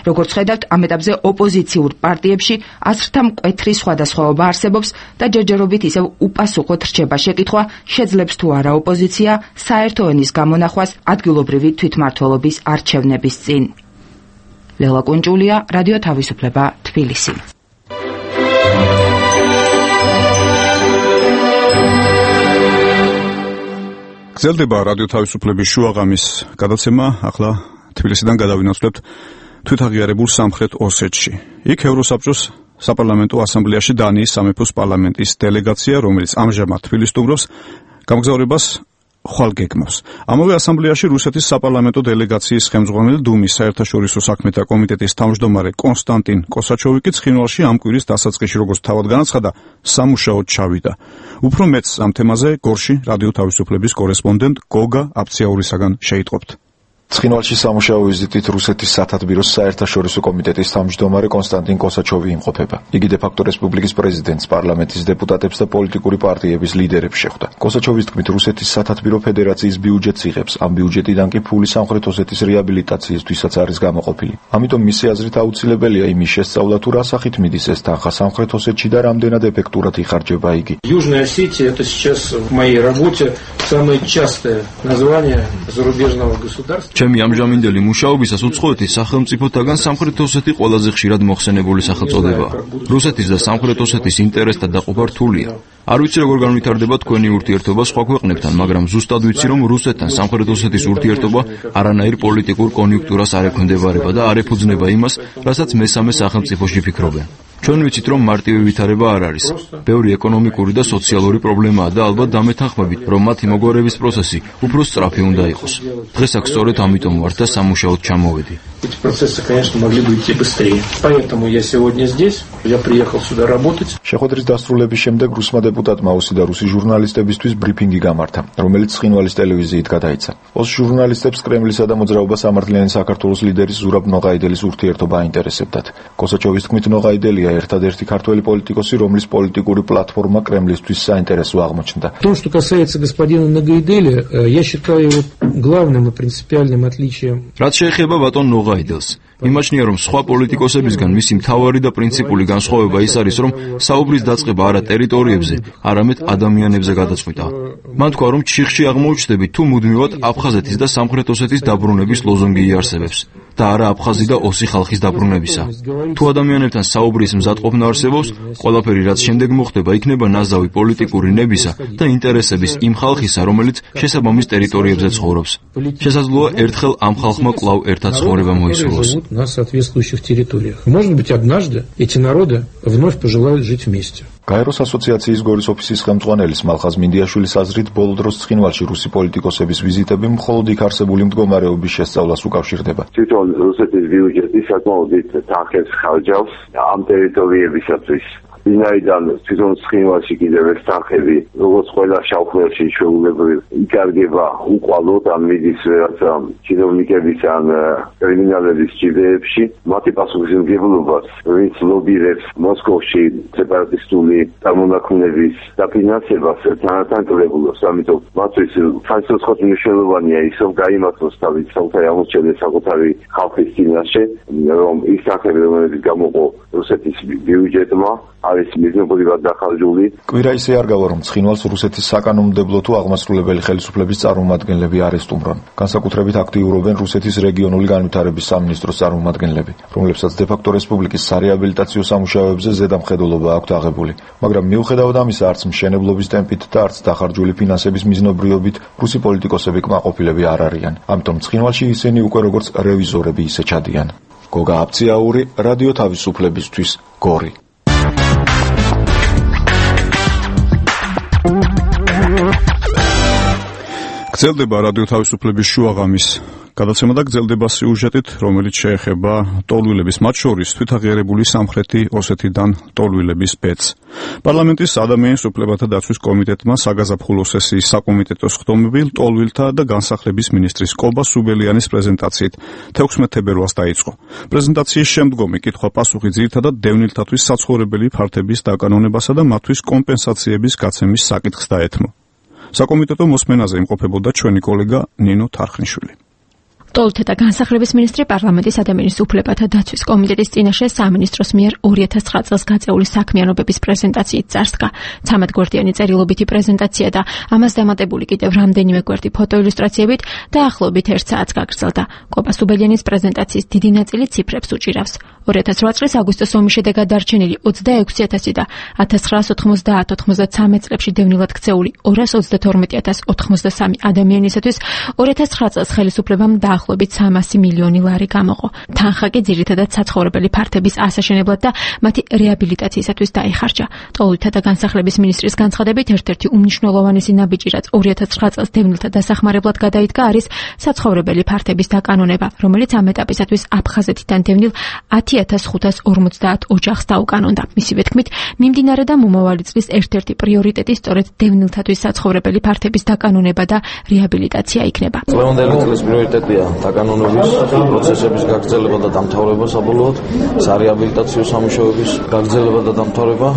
როგორც ხედავთ, ამ ეტაპზე ოპოზიციურ პარტიებში აზრთა მკვეთრი სხვადასხვაობა არსებობს და ჯერჯერობით ისევ უპასუხოდ რჩება შეკითხვა, შეძლებს თუ არა ოპოზიცია საერთო ენის გამონახვას ადგილობრივი თვითმმართველობის არჩევნების წინ. ლელა კუნჭულია, რადიო თავისუფლება, თბილისი. გრძელდება რადიო თავისუფლების შუაღამის გადაცემა. ახლა თბილისიდან გადავინაცვლებთ თვითაღიარებულ სამხრეთ ოსეთში. იქ ევროსაბჭოს საპარლამენტო ასამბლეაში დანიის სამეფოს პარლამენტის დელეგაცია, რომელიც ამჟამად თბილისს სტუმრობს, გამგზავრებას ხვალ გეგმავს. ამავე ასამბლეაში რუსეთის საპარლამენტო დელეგაციის ხელმძღვანელი დუმის საერთაშორისო საქმეთა კომიტეტის თავმჯდომარე კონსტანტინ კოსაჩოვი კი ცხინვალში ამ კვირის დასაწყისში, როგორც თავად განაცხადა, სამუშაოდ ჩავიდა. უფრო მეტს ამ თემაზე გორში რადიო თავისუფლების კორესპონდენტ გოგა აფციაურისაგან შეიტყობთ. ცხინვალში სამუშაო ვიზიტით რუსეთის სათათბიროს საერთაშორისო კომიტეტის თავმჯდომარე კონსტანტინ კოსაჩოვი იმყოფება. იგი დე-ფაქტო რესპუბლიკის პრეზიდენტს, პარლამენტის დეპუტატებს და პოლიტიკური პარტიების ლიდერებს შეხვდა. კოსაჩოვის თქმით, რუსეთის სათათბირო ფედერაციის ბიუჯეტს იღებს. ამ ბიუჯეტიდან კი ფული სამხრეთ ოსეთის რეაბილიტაციისთვისაც არის გამოყოფილი. ამიტომ მისი აზრით აუცილებელია იმის შესწავლა, თუ რა სახით მიდის ეს თანხა სამხრეთ ოსეთში და რამდენად ეფექტურად იხარჯება იგი. Южная Осетия это сейчас в моей работе самое частое название зарубежного государства. ჩემი ამჟამინდელი მუშაობისას უცხოეთის სახელმწიფოთაგან სამხრეთ ოსეთი ყველაზე ხშირად მოხსენებული სახელწოდებაა. რუსეთის და სამხრეთ ოსეთის ინტერესთა დაყოფა რთულია. არ ვიცი როგორ განვითარდება თქვენი ურთიერთობა სხვა ქვეყნებთან, მაგრამ ზუსტად ვიცი, რომ რუსეთთან სამხრეთ ოსეთის ურთიერთობა არანაირ პოლიტიკურ კონიუნქტურას არ ექვემდებარება და არ ეფუძნება იმას, რასაც მესამე სახელმწიფოში ფიქრობენ. ჩვენ ვიცით, რომ მარტივი ვითარება არ არის. ბევრი ეკონომიკური და სოციალური პრობლემაა და ალბათ დამეთანხმებით, რომ მათი მოგვარების პროცესი უფრო სწრაფი უნდა იყოს. დღეს აქ სწორედ ამიტომ ვარ და სამუშაოდ ჩამოვედი. Эти процессы, конечно, могли бы идти быстрее. Поэтому я сегодня здесь. Я приехал сюда работать. შეხვედრის დასრულების შემდეგ რუსმა დეპუტატმა ოსი და რუსი ჟურნალისტებისთვის ბრიფინგი გამართა, რომელიც ცხინვალის ტელევიზიით გადაიცა. ოს ჟურნალისტებს კრემლისა და მოძრაობა სამართლიანი საქართველოს ლიდერის ზურაბ ნოღაიდელის ურთიერთობა აინტერესებდათ. კოსაჩოვის თქმით, ნოღაიდელია ერთადერთი ქართველი პოლიტიკოსი, რომლის პოლიტიკური პლატფორმა კრემლისთვის საინტერესო აღმოჩნდა. В том, что касается господина Ногайделя, я считаю его главным и принципиальным отличием. რაც შეეხება ბატონ ნოღაიდელს, იმაჩნია, რომ სხვა პოლიტიკოსებისგან მისი მთავარი და პრინციპული განსხვავება ის არის, რომ საუბრის დაწყება არა ტერიტორიებზე, არამედ ადამიანებზე გადაწყვიტა. მან თქვა, რომ ჩიხში აღმოუჩნდებით, თუ მუდმივად აფხაზეთის და სამხრეთ ოსეთის დაბრუნების ლოზონგი იარსებებს და არა აფხაზი და ოსი ხალხის დაბრუნებისა. თუ ადამიანებთან საუბრის მზადყოფნა არსებობს, ყველაფერი რაც შემდეგ მოხდება, იქნება ნაზავი პოლიტიკური ნებისა და ინტერესების იმ ხალხისა, რომელიც შესაბამის ტერიტორიებზე ცხოვრობს. შესაძლოა ერთხელ ამ ხალხმა კვლავ ერთად ცხოვრება მოისურვოს. На соответствующих территориях. Может быть, однажды эти народы вновь пожелают жить вместе. გაეროს ასოციაციის გორის ოფისის ხელმძღვანელის მალხაზ მინდიაშვილის აზრით, ბოლო დროს ცხინვალში რუსი პოლიტიკოსების ვიზიტები მხოლოდ იქ არსებული მდგომარეობის შესწავლას უკავშირდება. თვითონ რუსეთის ბიუჯეტი საკმაოდ თანხებს ხარჯავს ამ ტერიტორიებისათვის. ვინაიდან თვითონ ცხინვალში კიდევ ეს თანხები, როგორც ყველა შავხმელში ჩვეულებრივ იკარგება უყვალოდ ან მიდის რაღაცა ჩინოვნიკების ან კრიმინალების ჭიდეებში, მათი პასუხისმგებლობას ვინც ლობირებს მოსკოვში სეპარატისტული წარმონაქმნების დაფინანსებას თანათან კლებულობს, ამიტომ მათთვის საერთოდ მნიშვნელოვანია ის, რომ გაიმართოს თავის საკუთარი აღმოჩენა საკუთარი ხალხის წინაშე, რომ ის თანხები, რომელიც გამოყო რუსეთის ბიუჯეტმა, არის მიზნობრივად დახარჯული. კვირა ისე არ გავა, რომ ცხინვალს რუსეთის საკანონმდებლო თუ აღმასრულებელი ხელისუფლების წარმომადგენლები არ ესტუმრონ. განსაკუთრებით აქტიურობენ რუსეთის რეგიონული განვითარების სამინისტროს წარმომადგენლები, რომლებსაც დე-ფაქტო რესპუბლიკის სარეაბილიტაციო სამუშაოებზე ზედამხედველობა აქვთ აღებული. მაგრამ მიუხედავად ამისა, არც მშენებლობის ტემპით და არც დახარჯული ფინანსების მიზნობრიობით რუსი პოლიტიკოსები კმაყოფილები არ არიან. ამიტომ ცხინვალში ისინი უკვე როგორც რევიზორები ისე ჩადიან. გოგა აბციაური, რადიო თავისუფლებისთვის, გორი. გრძელდება რადიო თავისუფლების შუაღამის გადაცემა და გრძელდება სიუჟეტით, რომელიც შეეხება ტოლვილების, მათ შორის თვითაღიარებული სამხრეთი ოსეთიდან ტოლვილების ბედს. პარლამენტის ადამიანის უფლებათა დაცვის კომიტეტმა საგაზაფხულო სესიის საკომიტეტო სხდომები ტოლვილთა და განსახლების მინისტრის კობა სუბელიანის პრეზენტაციით 16 თებერვალს დაიწყო. პრეზენტაციის შემდგომი კითხვა-პასუხი ძირითადად დევნილთათვის საცხოვრებელი ფართების დაკანონებასა და მათთვის კომპენსაციების გაცემის საკითხს დაეთმო. საკომიტეტო მოსმენაზე იმყოფებოდა ჩვენი კოლეგა ნინო თარხნიშვილი. ტოლვილთა და განსახლების მინისტრი პარლამენტის ადამიანის უფლებათა დაცვის კომიტეტის წინაშე სამინისტროს მიერ 2009 წელს გაწეული საქმიანობების პრეზენტაციით წარსდგა. 13 გვერდიანი წერილობითი პრეზენტაცია და ამას დამატებული კიდევ რამდენიმე გვერდი ფოტოილუსტრაციებით დაახლოებით 1 საათს გაგრძელდა. კობა სუბელიანის პრეზენტაციის დიდი ნაწილი ციფრებს უჭირავს. 2008 წლის აგვისტოს ომის შედეგად დარჩენილი 26,000 და 1990-93 წლებში დევნილად ქცეული 232,083 ადამიანისათვის 2009 წელს ხელისუფლებამ დაახლოებით 300 მილიონი ლარი გამოყო. თანხა კი ძირითადად საცხოვრებელი ფართების ასაშენებლად და მათი რეაბილიტაციისათვის დაიხარჯა. ტოლვილთა და განსახლების მინისტრის განცხადებით, ერთ-ერთი უმნიშვნელოვანესი ნაბიჯი, რაც 2009 წელს დევნილთა დასახმარებლად გადაიდგა, არის საცხოვრებელი ფართების დაკანონება, რომელიც ამ ეტაპისათვის აფხაზეთიდან დევნილ 10,550 ოჯახს დაუკანონდა. მისივე თქმით, მიმდინარე და მომავალი წლის ერთ-ერთი პრიორიტეტი სწორედ დევნილთათვის საცხოვრებელი ფართების დაკანონება და რეაბილიტაცია იქნება. დღევანდელი წლის პრიორიტეტია დაკანონების პროცესების გაგრძელება და დამთავრება საბოლოოდ, სარეაბილიტაციო სამუშაოების გაგრძელება და დამთავრება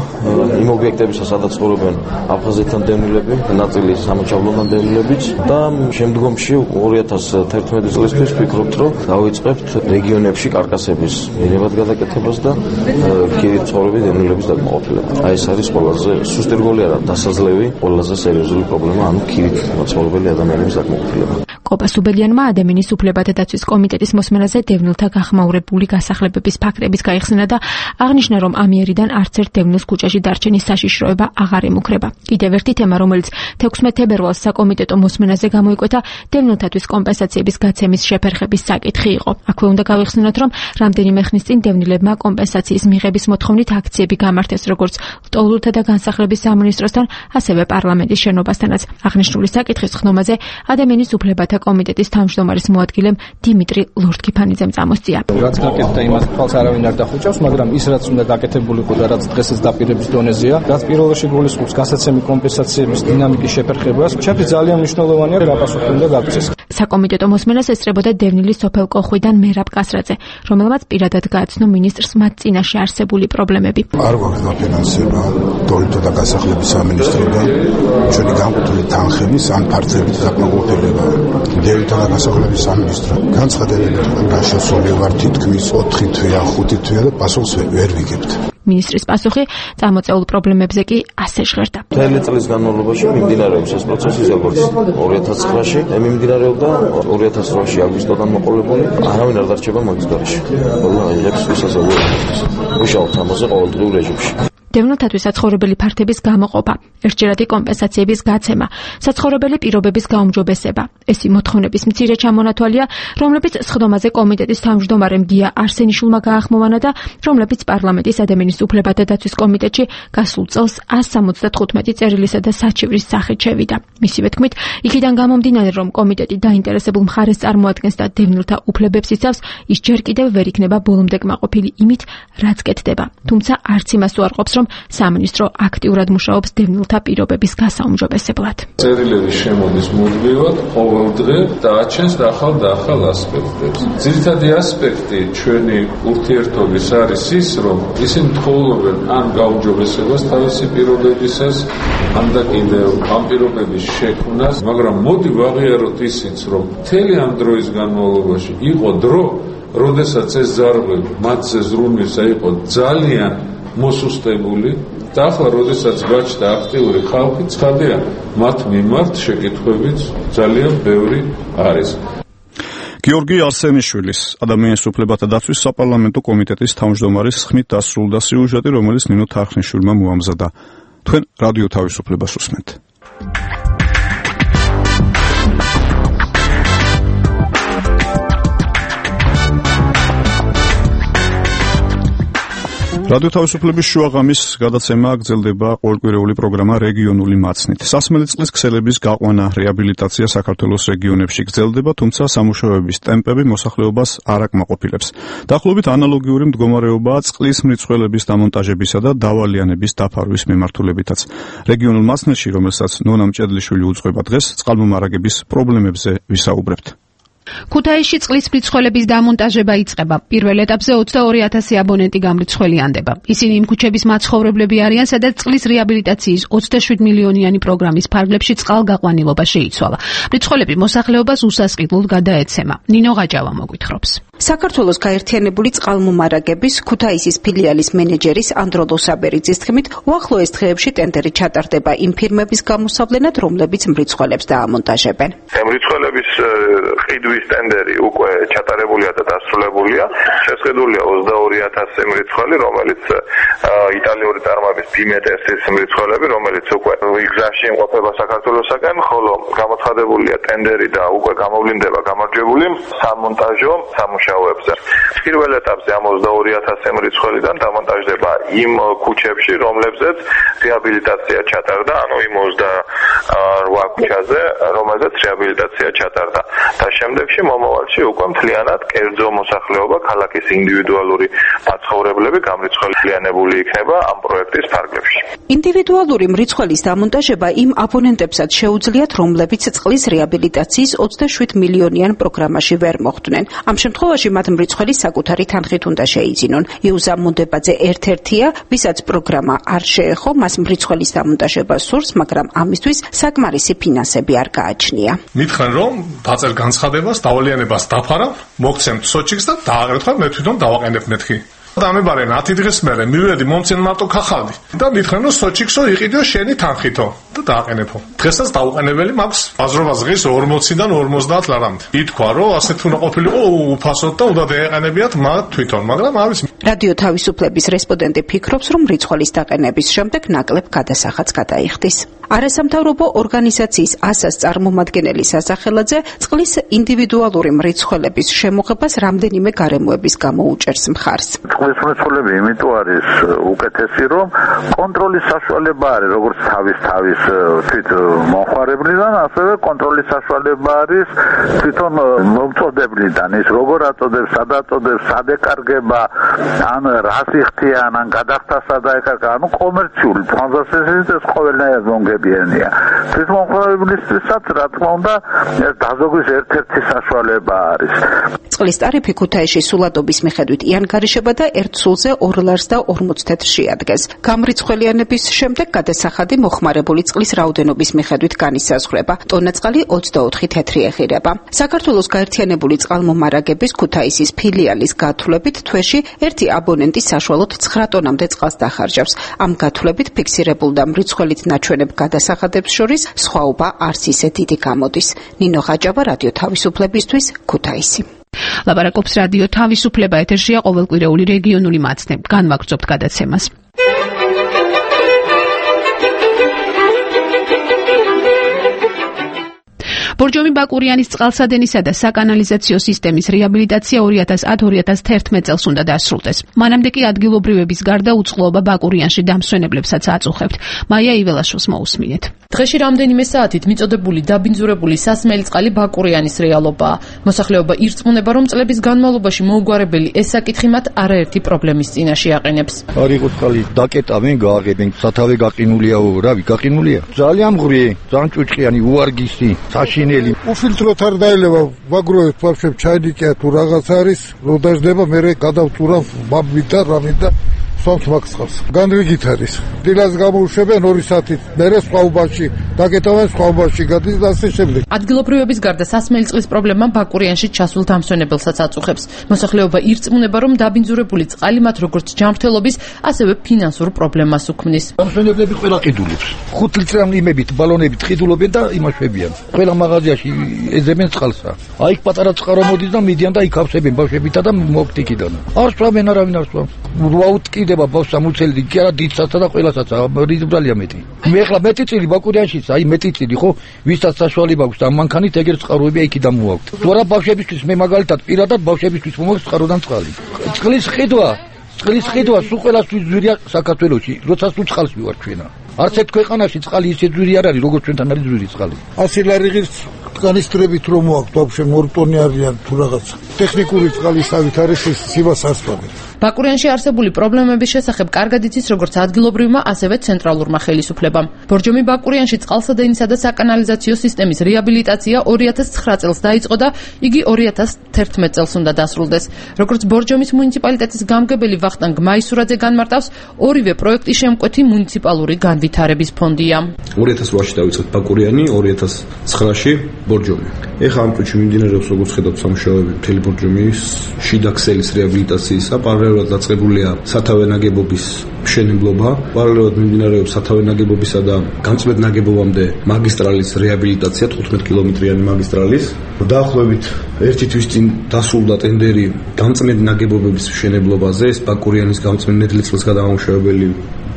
იმ ობიექტებისა, სადაც ცხოვრობენ აფხაზეთიდან დევნილები, ნაწილი სამოჩაბლოდან დევნილებიც და შემდგომში 2011 წლისთვის ვფიქრობთ, რომ დავიწყებთ რეგიონებში კარკასების მიღებად გადაკეთებას და ქირით ცხოვრები დევნილების დაკმაყოფილება. აი ეს არის ყველაზე სუსტი რგოლი არა, დასაძლევი, ყველაზე სერიოზული პრობლემა, ანუ ქირით ცხოვრობილი ადამიანების დაკმაყოფილება. კობა სუბელიანმა ადამიანის უფლებათა დაცვის კომიტეტის მოსმენაზე დევნილთა გახმაურებული გასახლებების ფაქტების გაიხსნა და აღნიშნა, რომ ამიერიდან არც ერთ დევნილს ქუჩაში დარჩენის საშიშროება აღარ ემუქრება. კიდევ ერთი თემა, რომელიც 16 თებერვალს საკომიტეტო მოსმენაზე გამოიკვეთა, დევნილთათვის კომპენსაციების გაცემის შეფერხების საკითხი იყო. აქვე უნდა გავიხსნათ, რომ რამდენიმე ხნის წინ დევნილებმა კომპენსაციის მიღების მოთხოვნით აქციები გამართეს როგორც ტოლვილთა და განსახლების სამინისტროსთან, ასევე პარლამენტის შენობასთანაც. აღნიშნული საკითხის ხდომაზე ადამიანის უფლებათა კომიტეტის თავმჯდომარის მოადგილემ დიმიტრი ლორთქიფანიძემ წამოსწია. რაც გაკეთდა, იმას თვალს არავინ არ დახუჭავს, მაგრამ ის რაც უნდა გაკეთებულიყო და რაც დღესაც დაპირების დონეზეა, რაც პირველ რიგში გულისხმობს გასაცემი კომპენსაციების დინამიკის შეფერხებას, ჩემთვის ძალიან მნიშვნელოვანია გაპასუხი უნდა გაგწეს. საკომიტეტო მოსმენას ესწრებოდა დევნილი სოფელ კოხვიდან მერაბ კასრაძე, რომელმაც პირადად გააცნო მინისტრს მათ წინაშე არსებული პრობლემები. არ გვაქვს დაფინანსება ტოლვილთა და განსახლების სამინისტროდან ჩვენი განკუთვნილი თანხების ან ფართების დაკმაყოფილება. დევნილთა და განსახლების სამინისტრო განცხადებებით გაშოსული ვარ თითქმის 4 თვეა, 5 თვეა და პასუხს ვერ ვიგებთ. მინისტრის პასუხი წამოწეულ პრობლემებზე კი ასე ჟღერდა. მთელი წლის განმავლობაში მიმდინარეობს ეს პროცესი, როგორც 2009-ში მიმდინარეობდა, 2008-ში აგვისტოდან მოყოლებული, არავინ არ დარჩება მაგის გარეშე. ყველა აიღებს ვისასწავლებლებს. მუშაობთ ამაზე ყოველდღიურ რეჟიმში. დევნილთათვის საცხოვრებელი ფართების გამოყოფა, ერთჯერადი კომპენსაციების გაცემა, საცხოვრებელი პირობების გაუმჯობესება. ესი მოთხოვნების მცირე ჩამონათვალია, რომლებიც სხდომაზე კომიტეტის თავმჯდომარემ გია არსენიშვილმა გაახმოვანა და რომლებიც პარლამენტის ადამიანის უფლებათა დაცვის კომიტეტში გასულ წელს 175 წერილისა და საჩივრის სახით შევიდა. მისივე თქმით, იქიდან გამომდინარე, რომ კომიტეტი დაინტერესებულ მხარეს წარმოადგენს და დევნილთა უფლებებს იცავს, ის ჯერ კიდევ ვერ იქნება ბოლომდე კმაყოფილი იმით, რაც კეთდება. თუმცა არც იმას უარყოფს, რომ რომ სამინისტრო აქტიურად მუშაობს დევნილთა პირობების გასაუმჯობესებლად. წერილები შემოდის მუდმივად ყოველ დღე და აჩენს ახალ და ახალ ასპექტებს. ძირითადი ასპექტი ჩვენი ურთიერთობის არის ის, რომ ისინი თხოვობენ ან გაუმჯობესებას თავისი პირობებისას, ან და კიდევ ამ პირობების შექმნას, მაგრამ მოდი ვაღიაროთ ისიც, რომ მთელი ამ დროის განმავლობაში იყო დრო, როდესაც ეს ზარღვები მათზე ზრუნვისა იყო ძალიან მოსუსტებული და ახლა როდესაც გაჩნდა აქტიური ხალხი, ცხადია, მათ მიმართ შეკითხვებიც ძალიან ბევრი არის. გიორგი არსენიშვილის ადამიანის უფლებათა დაცვის საპარლამენტო კომიტეტის თავმჯდომარის ხმით დასრულდა სიუჟეტი, რომელიც ნინო თარხნიშვილმა მოამზადა. თქვენ რადიო თავისუფლებას უსმენთ. რადიო თავისუფლების შუაღამის გადაცემა გრძელდება ყოველკვირეული პროგრამა რეგიონული მაცნით. სასმელი წყლის ქსელების გაყვანა, რეაბილიტაცია საქართველოს რეგიონებში გრძელდება, თუმცა სამუშაოების ტემპები მოსახლეობას არ აკმაყოფილებს. დაახლოებით ანალოგიური მდგომარეობაა წყლის მრიცხველების დამონტაჟებისა და დავალიანების დაფარვის მიმართულებითაც. რეგიონულ მაცნეთში, რომელსაც ნონა მჭედლიშვილი უძღვება დღეს, წყალმომარაგების პრობლემებზე ვისაუბრებთ. ქუთაისში წყლის მრიცხველების დამონტაჟება იწყება. პირველ ეტაპზე 22,000 აბონენტი გამრიცხველიანდება. ისინი იმ ქუჩების მაცხოვრებლები არიან, სადაც წყლის რეაბილიტაციის 27 მილიონიანი პროგრამის ფარგლებში წყალგაყვანილობა შეიცვალა. მრიცხველები მოსახლეობას უსასყიდლოდ გადაეცემა. ნინო ღაჯავა მოგვითხრობს. საქართველოს გაერთიანებული წყალმომარაგების ქუთაისის ფილიალის მენეჯერის ანდროლო საბერიძის თქმით, უახლოეს დღეებში ტენდერი ჩატარდება იმ ფირმების გამოსავლენად, რომლებიც მრიცხველებს დაამონტაჟებენ. მრიცხველების ყიდვის ტენდერი უკვე ჩატარებულია და დასრულებულია. შესყიდულია 22,000 მრიცხველი, რომელიც იტალიური წარმოების ბიმეტესის მრიცხველები, რომელიც უკვე გზაში იმყოფება საქართველოსაგან, ხოლო გამოცხადებულია ტენდერი და უკვე გამოვლინდება გამარჯვებული სამონტაჟო სამუშაოებზე. პირველ ეტაპზე ამ 22,000 მრიცხველიდან დამონტაჟდება იმ ქუჩებში, რომლებზეც რეაბილიტაცია ჩატარდა, ანუ იმ 28 ქუჩაზე, რომელზეც რეაბილიტაცია ჩატარდა. და შემდეგში მომავალში უკვე მთლიანად კერძო მოსახლეობა, ქალაქის ინდივიდუალური მაცხოვრებლები გამრიცხველიანებული იქნება ამ პროექტის ფარგლებში. ინდივიდუალური მრიცხველის დამონტაჟება იმ აბონენტებსაც შეუძლიათ, რომლებიც წყლის რეაბილიტაციის 27 მილიონიან პროგრამაში ვერ მოხვდნენ. ამ შემთხვევაში მათ მრიცხველი საკუთარი თანხით უნდა შეიძინონ. იუზა მონდებაძე ერთ-ერთია, ვისაც პროგრამა არ შეეხო, მას მრიცხველის დამონტაჟება სურს, მაგრამ ამისთვის საკმარისი ფინანსები არ გააჩნია. მითხრენ, რომ დაწერ განცხადებას, დავალიანებას დაფარავ, მოგცემთ სოჩიკს და დააღრეთ ხარ, მე თვითონ დავაყენებ მეთქი. და ამებარენ 10 დღის მერე მივედი მომცენ მარტო ქახალდი და მითხრენ, რომ სოჩიქსო იყიდო შენი თანხითო და დააყენებო. დღესაც დაუყენებელი მაქვს აზრობა ზღის 40-დან 50 ლარამდე. ითქვა, რომ ასეთ უნდა ყოფილიყო უფასოდ და უნდა დაეყენებიათ მათ თვითონ, მაგრამ არის. რადიო თავისუფლების რესპონდენტი ფიქრობს, რომ მრიცხველის დაყენების შემდეგ ნაკლებ გადასახადს გადაიხდის. არასამთავრობო ორგანიზაციის ასას წარმომადგენელი სასახელაძე წყლის ინდივიდუალური მრიცხველების შემოღებას რამდენიმე გარემოების გამო უჭერს მხარს. წყლის მრიცხველები იმიტომ არის უკეთესი, რომ კონტროლის საშუალება არის როგორც თავის თვით მომხმარებლიდან, ასევე კონტროლის საშუალება არის თვითონ მომწოდებლიდან, ის როგორ აწოდებს, სად აწოდებს, სად ეკარგება, ან რას იხდიან, ან გადახდა სად ეკარგება, ანუ კომერციული ტრანზაქციების ეს ყოველნაირად მომგებიანია. თვითმომხმარებლისთვისაც, რა თქმა უნდა, ეს დაზოგვის ერთ-ერთი საშუალება არის. წყლის ტარიფი ქუთაისში სულადობის მიხედვით იანგარიშება და ერთ სულზე 2 ლარს და 40 თეთრს შეადგენს. გამრიცხველიანების შემდეგ გადასახადი მოხმარებული წყლის რაოდენობის მიხედვით განისაზღვრება. ტონაწყალი 24 თეთრი ეღირება. საქართველოს გაერთიანებული წყალმომარაგების ქუთაისის ფილიალის გათვლებით თვეში ერთი აბონენტი საშუალოდ 9 ტონამდე წყალს დახარჯავს. ამ გათვლებით ფიქსირებულ და მრიცხველით ნაჩვენებ გადასახადებს შორის სხვაობა არც ისე დიდი გამოდის. ნინო ღაჯავა, რადიო თავისუფლებისთვის, ქუთაისი. ლაპარაკობს რადიო თავისუფლება, ეთერშია ყოველკვირეული რეგიონული მაცნე. განვაგრძობთ გადაცემას. ბორჯომი ბაკურიანის წყალსადენისა და საკანალიზაციო სისტემის რეაბილიტაცია 2010-2011 წელს უნდა დასრულდეს. მანამდე კი ადგილობრივების გარდა უწყლობა ბაკურიანში დამსვენებლებსაც აწუხებთ. მაია იველაშვილს მოусმინეთ. დღეში რამდენიმე საათით მიწოდებული დაბინძურებული სასმელი წყალი ბაკურიანის რეალობაა. მოსახლეობა ირწმუნება, რომ წლების განმავლობაში მოუგვარებელი ეს საკითხი მათ არაერთი პრობლემის წინაშე აყენებს. არ იყო წყალი დაკეტავენ, გააღებენ, სათავე გაყინულია, რავი, გაყინულია. ძალიან მღვრე, ძალიან ჭუჭყიანი, უარგისი, საშინელი. ufiltrot არ დაელევა, ვაგროვებ ვაფშე ჩაიდიკია თუ რაღაც არის, რო დაждდება, მე გადავწურავ ბაბით და რამით და სვამს მაგცხავს. განრიგით არის. დილას გამოუშვებენ 2 საათით, მერე სხვაობაში, დაკეტავენ სხვაობაში, გადის და ასე შემდეგ. ადგილობრივების გარდა სასმელი წყლის პრობლემა ბაკურიანში ჩასულ დამსვენებელსაც აწუხებს. მოსახლეობა ირწმუნება, რომ დაბინძურებული წყალი მათ როგორც ჯანმრთელობის, ასევე ფინანსურ პრობლემას უქმნის. დამსვენებლები ყველა ყიდულობს. 5 ლიტრამდე ბალონებით ყიდულობენ და იმაშვებიან. ყველა მაღაზიაში ეძებენ წყალსა. აი პატარა წყარო მოდის და მიდიან და იქ ავსებენ ბავშვებითა და მოფტიკიდან. არ სვამენ არავინ არ სვამს. ვაუტკიდება ბავშვს მუცელი კი არა დიდსაცა და ყველასაც რიზბრალია მეტი. მე ახლა მეტი წილი ბაკურიანშიც აი მეტი წილი ხო ვისაც საშუალება აქვს და მანქანით ეგერ წყაროები იქი დამოაქვთ. თუ არა ბავშვებისთვის მე მაგალითად პირადად ბავშვებისთვის მომაქვს წყაროდან წყალი. წყლის ხედვა სულ ყველასთვის ძვირია საქართველოში, როცა სულ წყალს მივარ ჩვენა. არც ერთ ქვეყანაში წყალი ისე ძვირი არ არის, როგორც ჩვენთან არის ძვირი წყალი. 100 ლარიღის კანისტრებით რომ მოაქვს, ვაფშე 2 ტონი არიან თუ რაღაც. ტექნიკური წყალისავით არის ეს სივას ასპარეზი. ბაკურიანში არსებული პრობლემების შესახებ კარგად იცის როგორც ადგილობრივმა, ასევე ცენტრალურმა ხელისუფლებამ. ბორჯომი ბაკურიანში წყალსადენისა და საკანალიზაციო სისტემის რეაბილიტაცია 2009 წელს დაიწყო და იგი 2011 წელს უნდა დასრულდეს. როგორც ბორჯომის მუნიციპალიტეტის გამგებელი ვახტანგ მაისურაძე განმარტავს, ორივე პროექტი შემკვეთი მუნიციპალური განვითარების ფონდია. 2008-ში დაიწყეთ ბაკურიანი, 2009-ში ბორჯომი. ეხლა ამ პროექტში მიმდინარეობს როგორც ხედავთ სამუშაოები მთელი ბორჯომის შიდა ქსელის რეაბილიტაციისა, პარალელურად დაწყებულია სათავე ნაგებობის მშენებლობა, პარალელურად მიმდინარეობს სათავე ნაგებობისა და გამწმედ ნაგებობამდე მაგისტრალის რეაბილიტაცია, 15 კილომეტრიანი მაგისტრალის. დაახლოებით ერთი თვის წინ დასრულდა ტენდერი გამწმედ ნაგებობების მშენებლობაზე, ეს ბაკურიანის გამწმედ ნედლისწყლის გადამამუშავებელი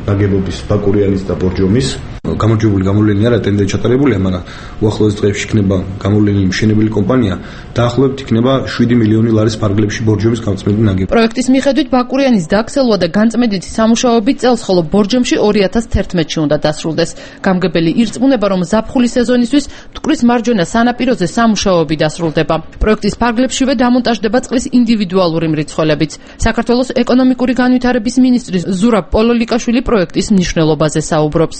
ნაგებობის ბაკურიანის და ბორჯომის. გამარჯვებული გამოვლენილი არა ტენდერი ჩატარებულია, მაგრამ უახლოეს დღეებში იქნება გამოვლენილი მშენებელი კომპანია, დაახლოებით იქნება 7 მილიონი ლარის ფარგლებში ბორჯომის გამწმენდი ნაგებობა. პროექტის მიხედვით ბაკურიანის დაქცელვა და განწმენდითი სამუშაოები წელს, ხოლო ბორჯომში 2011-ში უნდა დასრულდეს. გამგებელი ირწმუნება, რომ ზაფხული სეზონისთვის მტკვრის მარჯვენა სანაპიროზე სამუშაოები დასრულდება. პროექტის ფარგლებშივე დამონტაჟდება წყლის ინდივიდუალური მრიცხველებიც. საქართველოს ეკონომიკური განვითარების მინისტრი ზურაბ პოლოლიკაშვილი პროექტის მნიშვნელობაზე საუბრობს.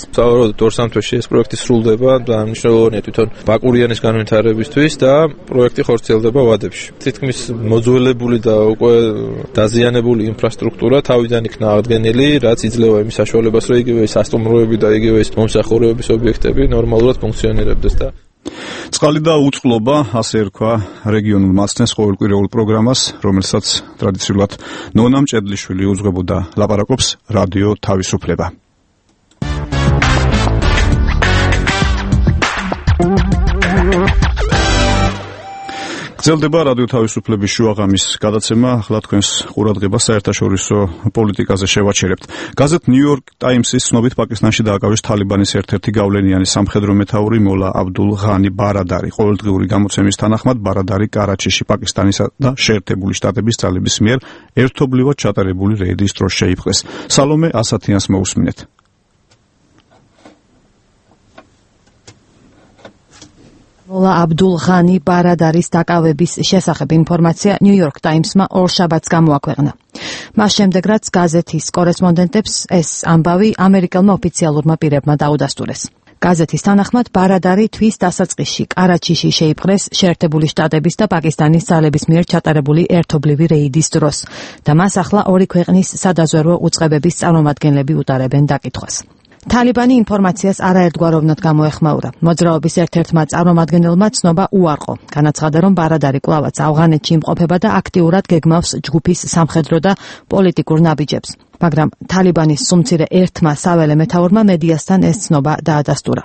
ორ-სამ თვეში ეს პროექტი სრულდება და მნიშვნელოვანია თვითონ ბაკურიანის განვითარებისთვის და პროექტი ხორციელდება ვადებში. თითქმის მოძველებული და უკვე დაზიანებული ინფრასტრუქტურა თავიდან იქნა აღდგენილი, რაც იძლევა იმის საშუალებას, რომ იგივე სასტუმროები და იგივე მომსახურებების ობიექტები ნორმალურად ფუნქციონირებდეს და წყალი და უწყლობა, ასე ერქვა რეგიონულ მასწავლებელს ყოველკვირეულ პროგრამას, რომელსაც ტრადიციულად ნონა მჭედლიშვილი უძღვებოდა. ლაპარაკობს რადიო თავისუფლება. გრძელდება რადიო თავისუფლების შუაღამის გადაცემა, ახლა თქვენს ყურადღებას საერთაშორისო პოლიტიკაზე შევაჩერებთ. გაზეთ New York Times-ის ცნობით პაკისტანში დააკავეს თალიბანის ერთ-ერთი გავლენიანი სამხედრო მეთაური მოლა აბდულ ღანი ბარადარი. ყოველდღიური გამოცემის თანახმად ბარადარი კარაჩიში პაკისტანისა და შეერთებული შტატების ძალების მიერ ერთობლივად ჩატარებული რეიდის დროს შეიპყრეს. სალომე ასათიანს მოусმინეთ. მოლა აბდულ ღანი ბარადარის დაკავების შესახებ ინფორმაცია New York Times-მა ორშაბათს გამოაქვეყნა. მას შემდეგ, რაც გაზეთის კორესპონდენტებს ეს ამბავი ამერიკელმა ოფიციალურმა პირებმა დაუდასტურეს. გაზეთის თანახმად ბარადარი თვის დასაწყისში კარაჩიში შეიპყრეს შეერთებული შტატების და პაკისტანის ძალების მიერ ჩატარებული ერთობლივი რეიდის დროს და მას ახლა ორი ქვეყნის სადაზვერვო უწყებების წარმომადგენლები უტარებენ დაკითხვას. თალიბანი ინფორმაციას არაერთგვაროვნად გამოეხმაურა. მოძრაობის ერთ-ერთმა წარმომადგენელმა ცნობა უარყო. განაცხადა, რომ ბარადარი კვლავაც ავღანეთში იმყოფება და აქტიურად გეგმავს ჯგუფის სამხედრო და პოლიტიკურ ნაბიჯებს. მაგრამ თალიბანის სუმცირე ერთმა საველე მეთაურმა მედიასთან ეს ცნობა დაადასტურა.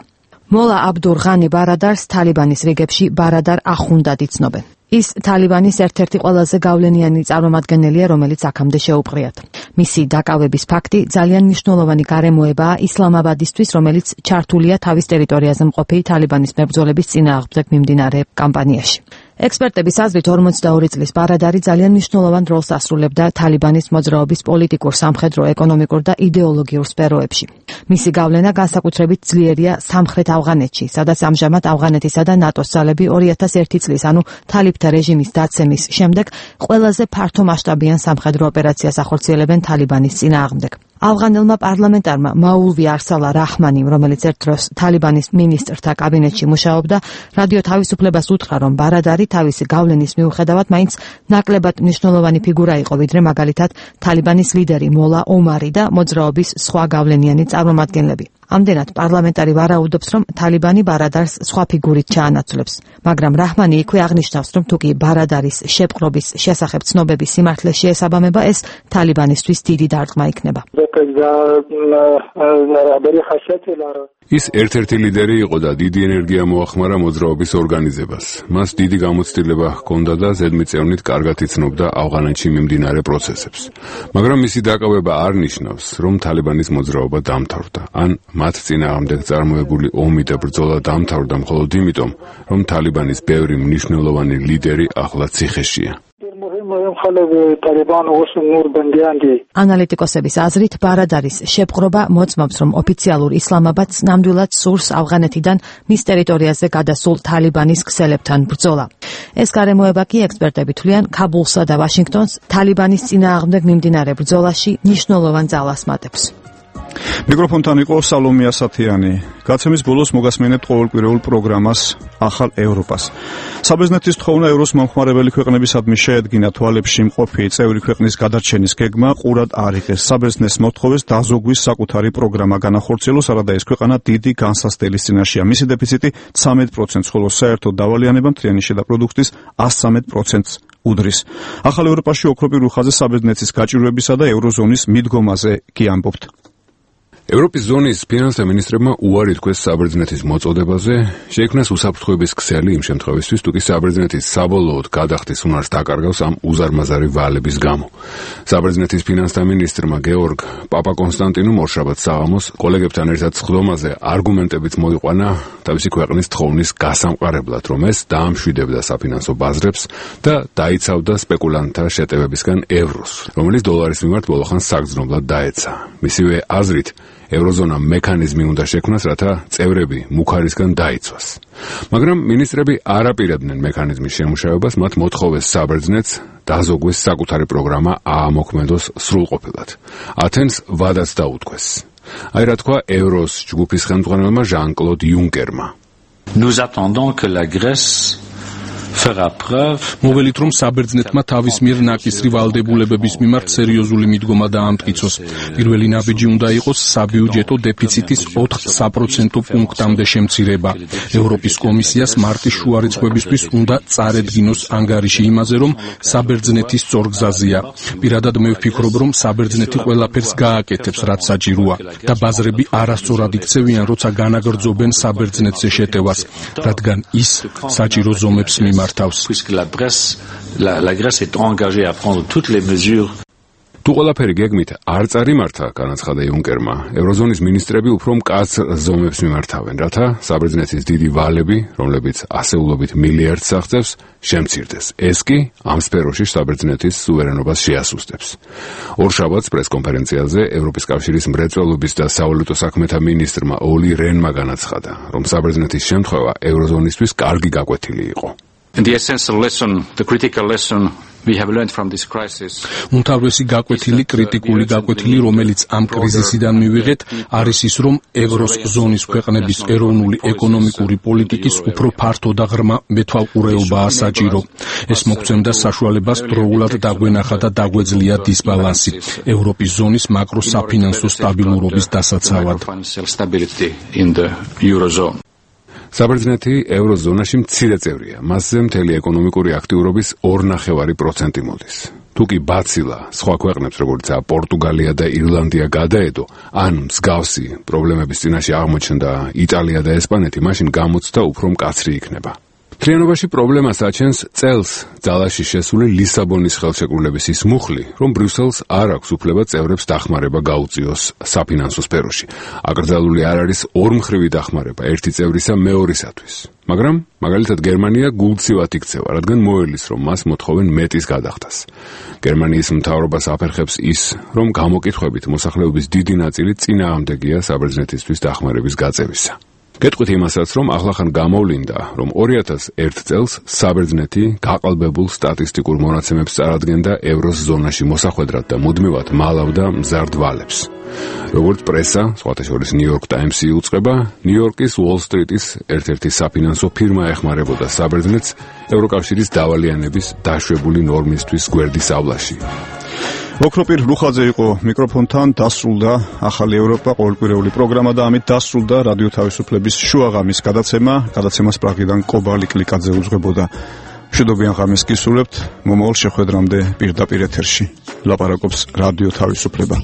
მოლა აბდულ ღანი ბარადარს თალიბანის რიგებში ბარადარ ახუნდად იცნობენ. ის თალიბანის ერთ-ერთი ყველაზე გავლენიანი წარმომადგენელია, რომელიც აქამდე შეუპყრიათ. მისი დაკავების ფაქტი ძალიან მნიშვნელოვანი გარემოებაა ისლამაბადისთვის, რომელიც ჩართულია თავის ტერიტორიაზე მყოფი თალიბანის მებრძოლების წინააღმდეგ მიმდინარე კამპანიაში. ექსპერტების აზრით 42 წლის ბარადარი ძალიან მნიშვნელოვან როლს ასრულებდა თალიბანის მოძრაობის პოლიტიკურ, სამხედრო, ეკონომიკურ და იდეოლოგიურ სფეროებში. მისი გავლენა განსაკუთრებით ძლიერია სამხრეთ ავღანეთში, სადაც ამჟამად ავღანეთისა და ნატოს ძალები 2001 წლის, ანუ თალიბთა რეჟიმის დაცემის შემდეგ ყველაზე ფართო მასშტაბიან სამხედრო ოპერაციას ახორციელებენ თალიბანის წინააღმდეგ. ავღანელმა პარლამენტარმა მაულვი არსალა რაჰმანი, რომელიც ერთ დროს თალიბანის მინისტრთა კაბინეტში მუშაობდა, რადიო თავისუფლებას უთხრა, რომ ბარადარი თავისი გავლენის მიუხედავად მაინც ნაკლებად მნიშვნელოვანი ფიგურა იყო, ვიდრე მაგალითად თალიბანის ლიდერი მოლა ომარი და მოძრაობის სხვა გავლენიანი წარმომადგენლები. ამდენად პარლამენტარი ვარაუდობს, რომ თალიბანი ბარადარს სხვა ფიგურით ჩაანაცვლებს, მაგრამ რაჰმანი იქვე აღნიშნავს, რომ თუკი ბარადარის შეპყრობის შესახებ ცნობების სიმართლე შეესაბამება, ეს თალიბანისთვის დიდი დარტყმა იქნება. ის ერთ-ერთი ლიდერი იყო და დიდი ენერგია მოახმარა მოძრაობის ორგანიზებას. მას დიდი გამოცდილება ჰქონდა და ზედმიწევნით კარგად იცნობდა ავღანეთში მიმდინარე პროცესებს. მაგრამ მისი დაკავება არ ნიშნავს, რომ თალიბანის მოძრაობა დამთავრდა, ან მათ წინააღმდეგ წარმოებული ომი და ბრძოლა დამთავრდა მხოლოდ იმიტომ, რომ თალიბანის ბევრი მნიშვნელოვანი ლიდერი ახლა ციხეშია. ანალიტიკოსების აზრით, ბარადარის შეპყრობა მოწმობს, რომ ოფიციალურ ისლამაბადს ნამდვილად სურს ავღანეთიდან მის ტერიტორიაზე გადასულ თალიბანის ქსელებთან ბრძოლა. ეს გარემოება კი ექსპერტები თვლიან ქაბულსა და ვაშინგტონს თალიბანის წინააღმდეგ მიმდინარე ბრძოლაში მნიშვნელოვან ძალას მატებს. მიკროფონთან იყო სალომე ასათიანი. გაცემის ბოლოს მოგასმენებთ ყოველკვირეულ პროგრამას ახალ ევროპას. საბერძნეთის თხოვნა ევროს მომხმარებელი ქვეყნებისადმი შეედგინა თვალებში მყოფი წევრი ქვეყნის გადარჩენის გეგმა ყურად არ იღეს. საბერძნეთს მოთხოვეს დაზოგვის საკუთარი პროგრამა განახორციელოს, არადა ეს ქვეყანა დიდი განსასწრების წინაშეა. მისი დეფიციტი 13%, ხოლო საერთო დავალიანება მთლიანი შედაპროდუქტის 113%-ს უდრის. ახალ ევროპაში ოქროპირულ ხაზზე საბერძნეთის გაჭირვებისა და ევროზონის მიდგომაზე კი ამბობთ. ევროპის ზონის ფინანსთა მინისტრებმა უარი თქვეს საბერძნეთის მოწოდებაზე, შეიქმნას უსაფრთხოების ქსელი იმ შემთხვევისთვის, თუ კი საბერძნეთის საბოლოოდ გადახდის უნარს დაკარგავს ამ უზარმაზარი ვალების გამო. საბერძნეთის ფინანსთა მინისტრმა გეორგ პაპაკონსტანტინუმ ორშაბათს საღამოს კოლეგებთან ერთად სხდომაზე არგუმენტებიც მოიყვანა თავისი ქვეყნის თხოვნის გასამყარებლად, რომ ეს დაამშვიდებდა საფინანსო ბაზრებს და დაიცავდა სპეკულანტთა შეტევებისგან ევროს, რომელიც დოლარის მიმართ ბოლოხანს საგრძნობლად დაეცა. მისივე აზრით, ევროზონა მექანიზმი უნდა შექმნას, რათა წევრები მუქარისგან დაიცვას. მაგრამ მინისტრები არ აპირებდნენ მექანიზმის შემუშავებას, მათ მოთხოვეს საბერძნეთს დაზოგვეს საკუთარი პროგრამა აამოქმედოს სრულყოფილად. ათენს ვადაც დაუთქვეს. აი რა თქვა ევროს ჯგუფის ხელმძღვანელმა ჟან-კლოდ იუნკერმა. Nous attendons que la Grèce მოველით, რომ საბერძნეთმა თავის მიერ ნაკისრი ვალდებულებების მიმართ სერიოზული მიდგომა დაამტკიცოს. პირველი ნაბიჯი უნდა იყოს საბიუჯეტო დეფიციტის 4% პუნქტამდე შემცირება. ევროპის კომისიას მარტის შუა რიცხვებისთვის უნდა წარედგინოს ანგარიში იმაზე, რომ საბერძნეთის სწორგზაზია. პირადად მე ვფიქრობ, რომ საბერძნეთი ყველაფერს გააკეთებს, რაც საჭიროა და ბაზრები არასწორად იქცევიან, როცა განაგრძობენ საბერძნეთზე შეტევას, რადგან ის საჭირო ზომებს მიმართავს. Puisque la Grèce est engagée à prendre toutes les mesures. თუ ყველაფერი გეგმით არ წარიმართა, განაცხადა იუნკერმა, ევროზონის მინისტრები უფრო მკაცრ ზომებს მიმართავენ, რათა საბერძნეთის დიდი ვალები, რომლებიც ასეულობით მილიარდს აღწევს, შემცირდეს. ეს კი ამ სფეროში საბერძნეთის სუვერენობას შეასუსტებს. ორშაბათს პრესკონფერენციაზე ევროპის კავშირის მრეწველობის და სავალუტო საქმეთა მინისტრმა ოლი რენმა განაცხადა, რომ საბერძნეთის შემთხვევა ევროზონისთვის კარგი გაკვეთილი იყო. The essential lesson, the critical lesson we have learned from this crisis. Უმთავრესი გაკვეთილი, კრიტიკული გაკვეთილი, რომელიც ამ კრიზისიდან მივიღეთ, არის ის, რომ ევროს ზონის ქვეყნების ეროვნული ეკონომიკური პოლიტიკის უფრო ფართო და ღრმა მეთვალყურეობაა საჭირო. ეს მოგცემდა საშუალებას დროულად დაგვენახა და დაგვეძლია დისბალანსი ევროპის ზონის მაკროსაფინანსო სტაბილურობის დასაცავად. საბერძნეთი ევროზონაში მცირე წევრია. მასზე მთელი ეკონომიკური აქტიურობის 2.5% მოდის. თუ კი ბაცილა სხვა ქვეყნებს, როგორიცაა პორტუგალია და ირლანდია გადაედო, ან მსგავსი პრობლემების წინაშე აღმოჩნდა იტალია და ესპანეთი, მაშინ გამოცდა უფრო მკაცრი იქნება. მთლიანობაში პრობლემას აჩენს წელს ძალაში შესული ლისაბონის ხელშეკრულების ის მუხლი, რომ ბრიუსელს არ აქვს უფლება წევრებს დახმარება გაუწიოს საფინანსო სფეროში. აკრძალული არ არის ორმხრივი დახმარება ერთი წევრისა მეორისათვის. მაგრამ, მაგალითად, გერმანია გულწივად იქცევა, რადგან მოელის, რომ მას მოთხოვენ მეტის გადახდას. გერმანიის მთავრობას აფერხებს ის, რომ გამოკითხვებით მოსახლეობის დიდი ნაწილი წინააღმდეგია საბერძნეთისთვის დახმარების გაწევისა. გეტყვით იმასაც, რომ ახლახან გამოვლინდა, რომ 2001 წელს საბერძნეთი გაყალბებულ სტატისტიკურ მონაცემებს წარადგენდა ევროს ზონაში მოსახვედრად და მუდმივად მალავდა მზარდ ვალებს. როგორც პრესა, სხვათა შორის New York Times-ი უწყება, ნიუ-იორკის Wall Street-ის ერთ-ერთი საფინანსო ფირმა ეხმარებოდა საბერძნეთს ევროკავშირის დავალიანების დაშვებული ნორმისთვის გვერდის ავლაში. ოქროპირ რუხაძე იყო მიკროფონთან, დასრულდა ახალი ევროპა ყოველკვირეული პროგრამა და ამით დასრულდა რადიო თავისუფლების შუაღამის გადაცემას პრაღიდან კობალი კლიკაძე უძღვებოდა. მშვიდობიან ღამეს გისურვებთ, მომავალ შეხვედრამდე პირდაპირ ეთერში ლაპარაკობს რადიო თავისუფლება.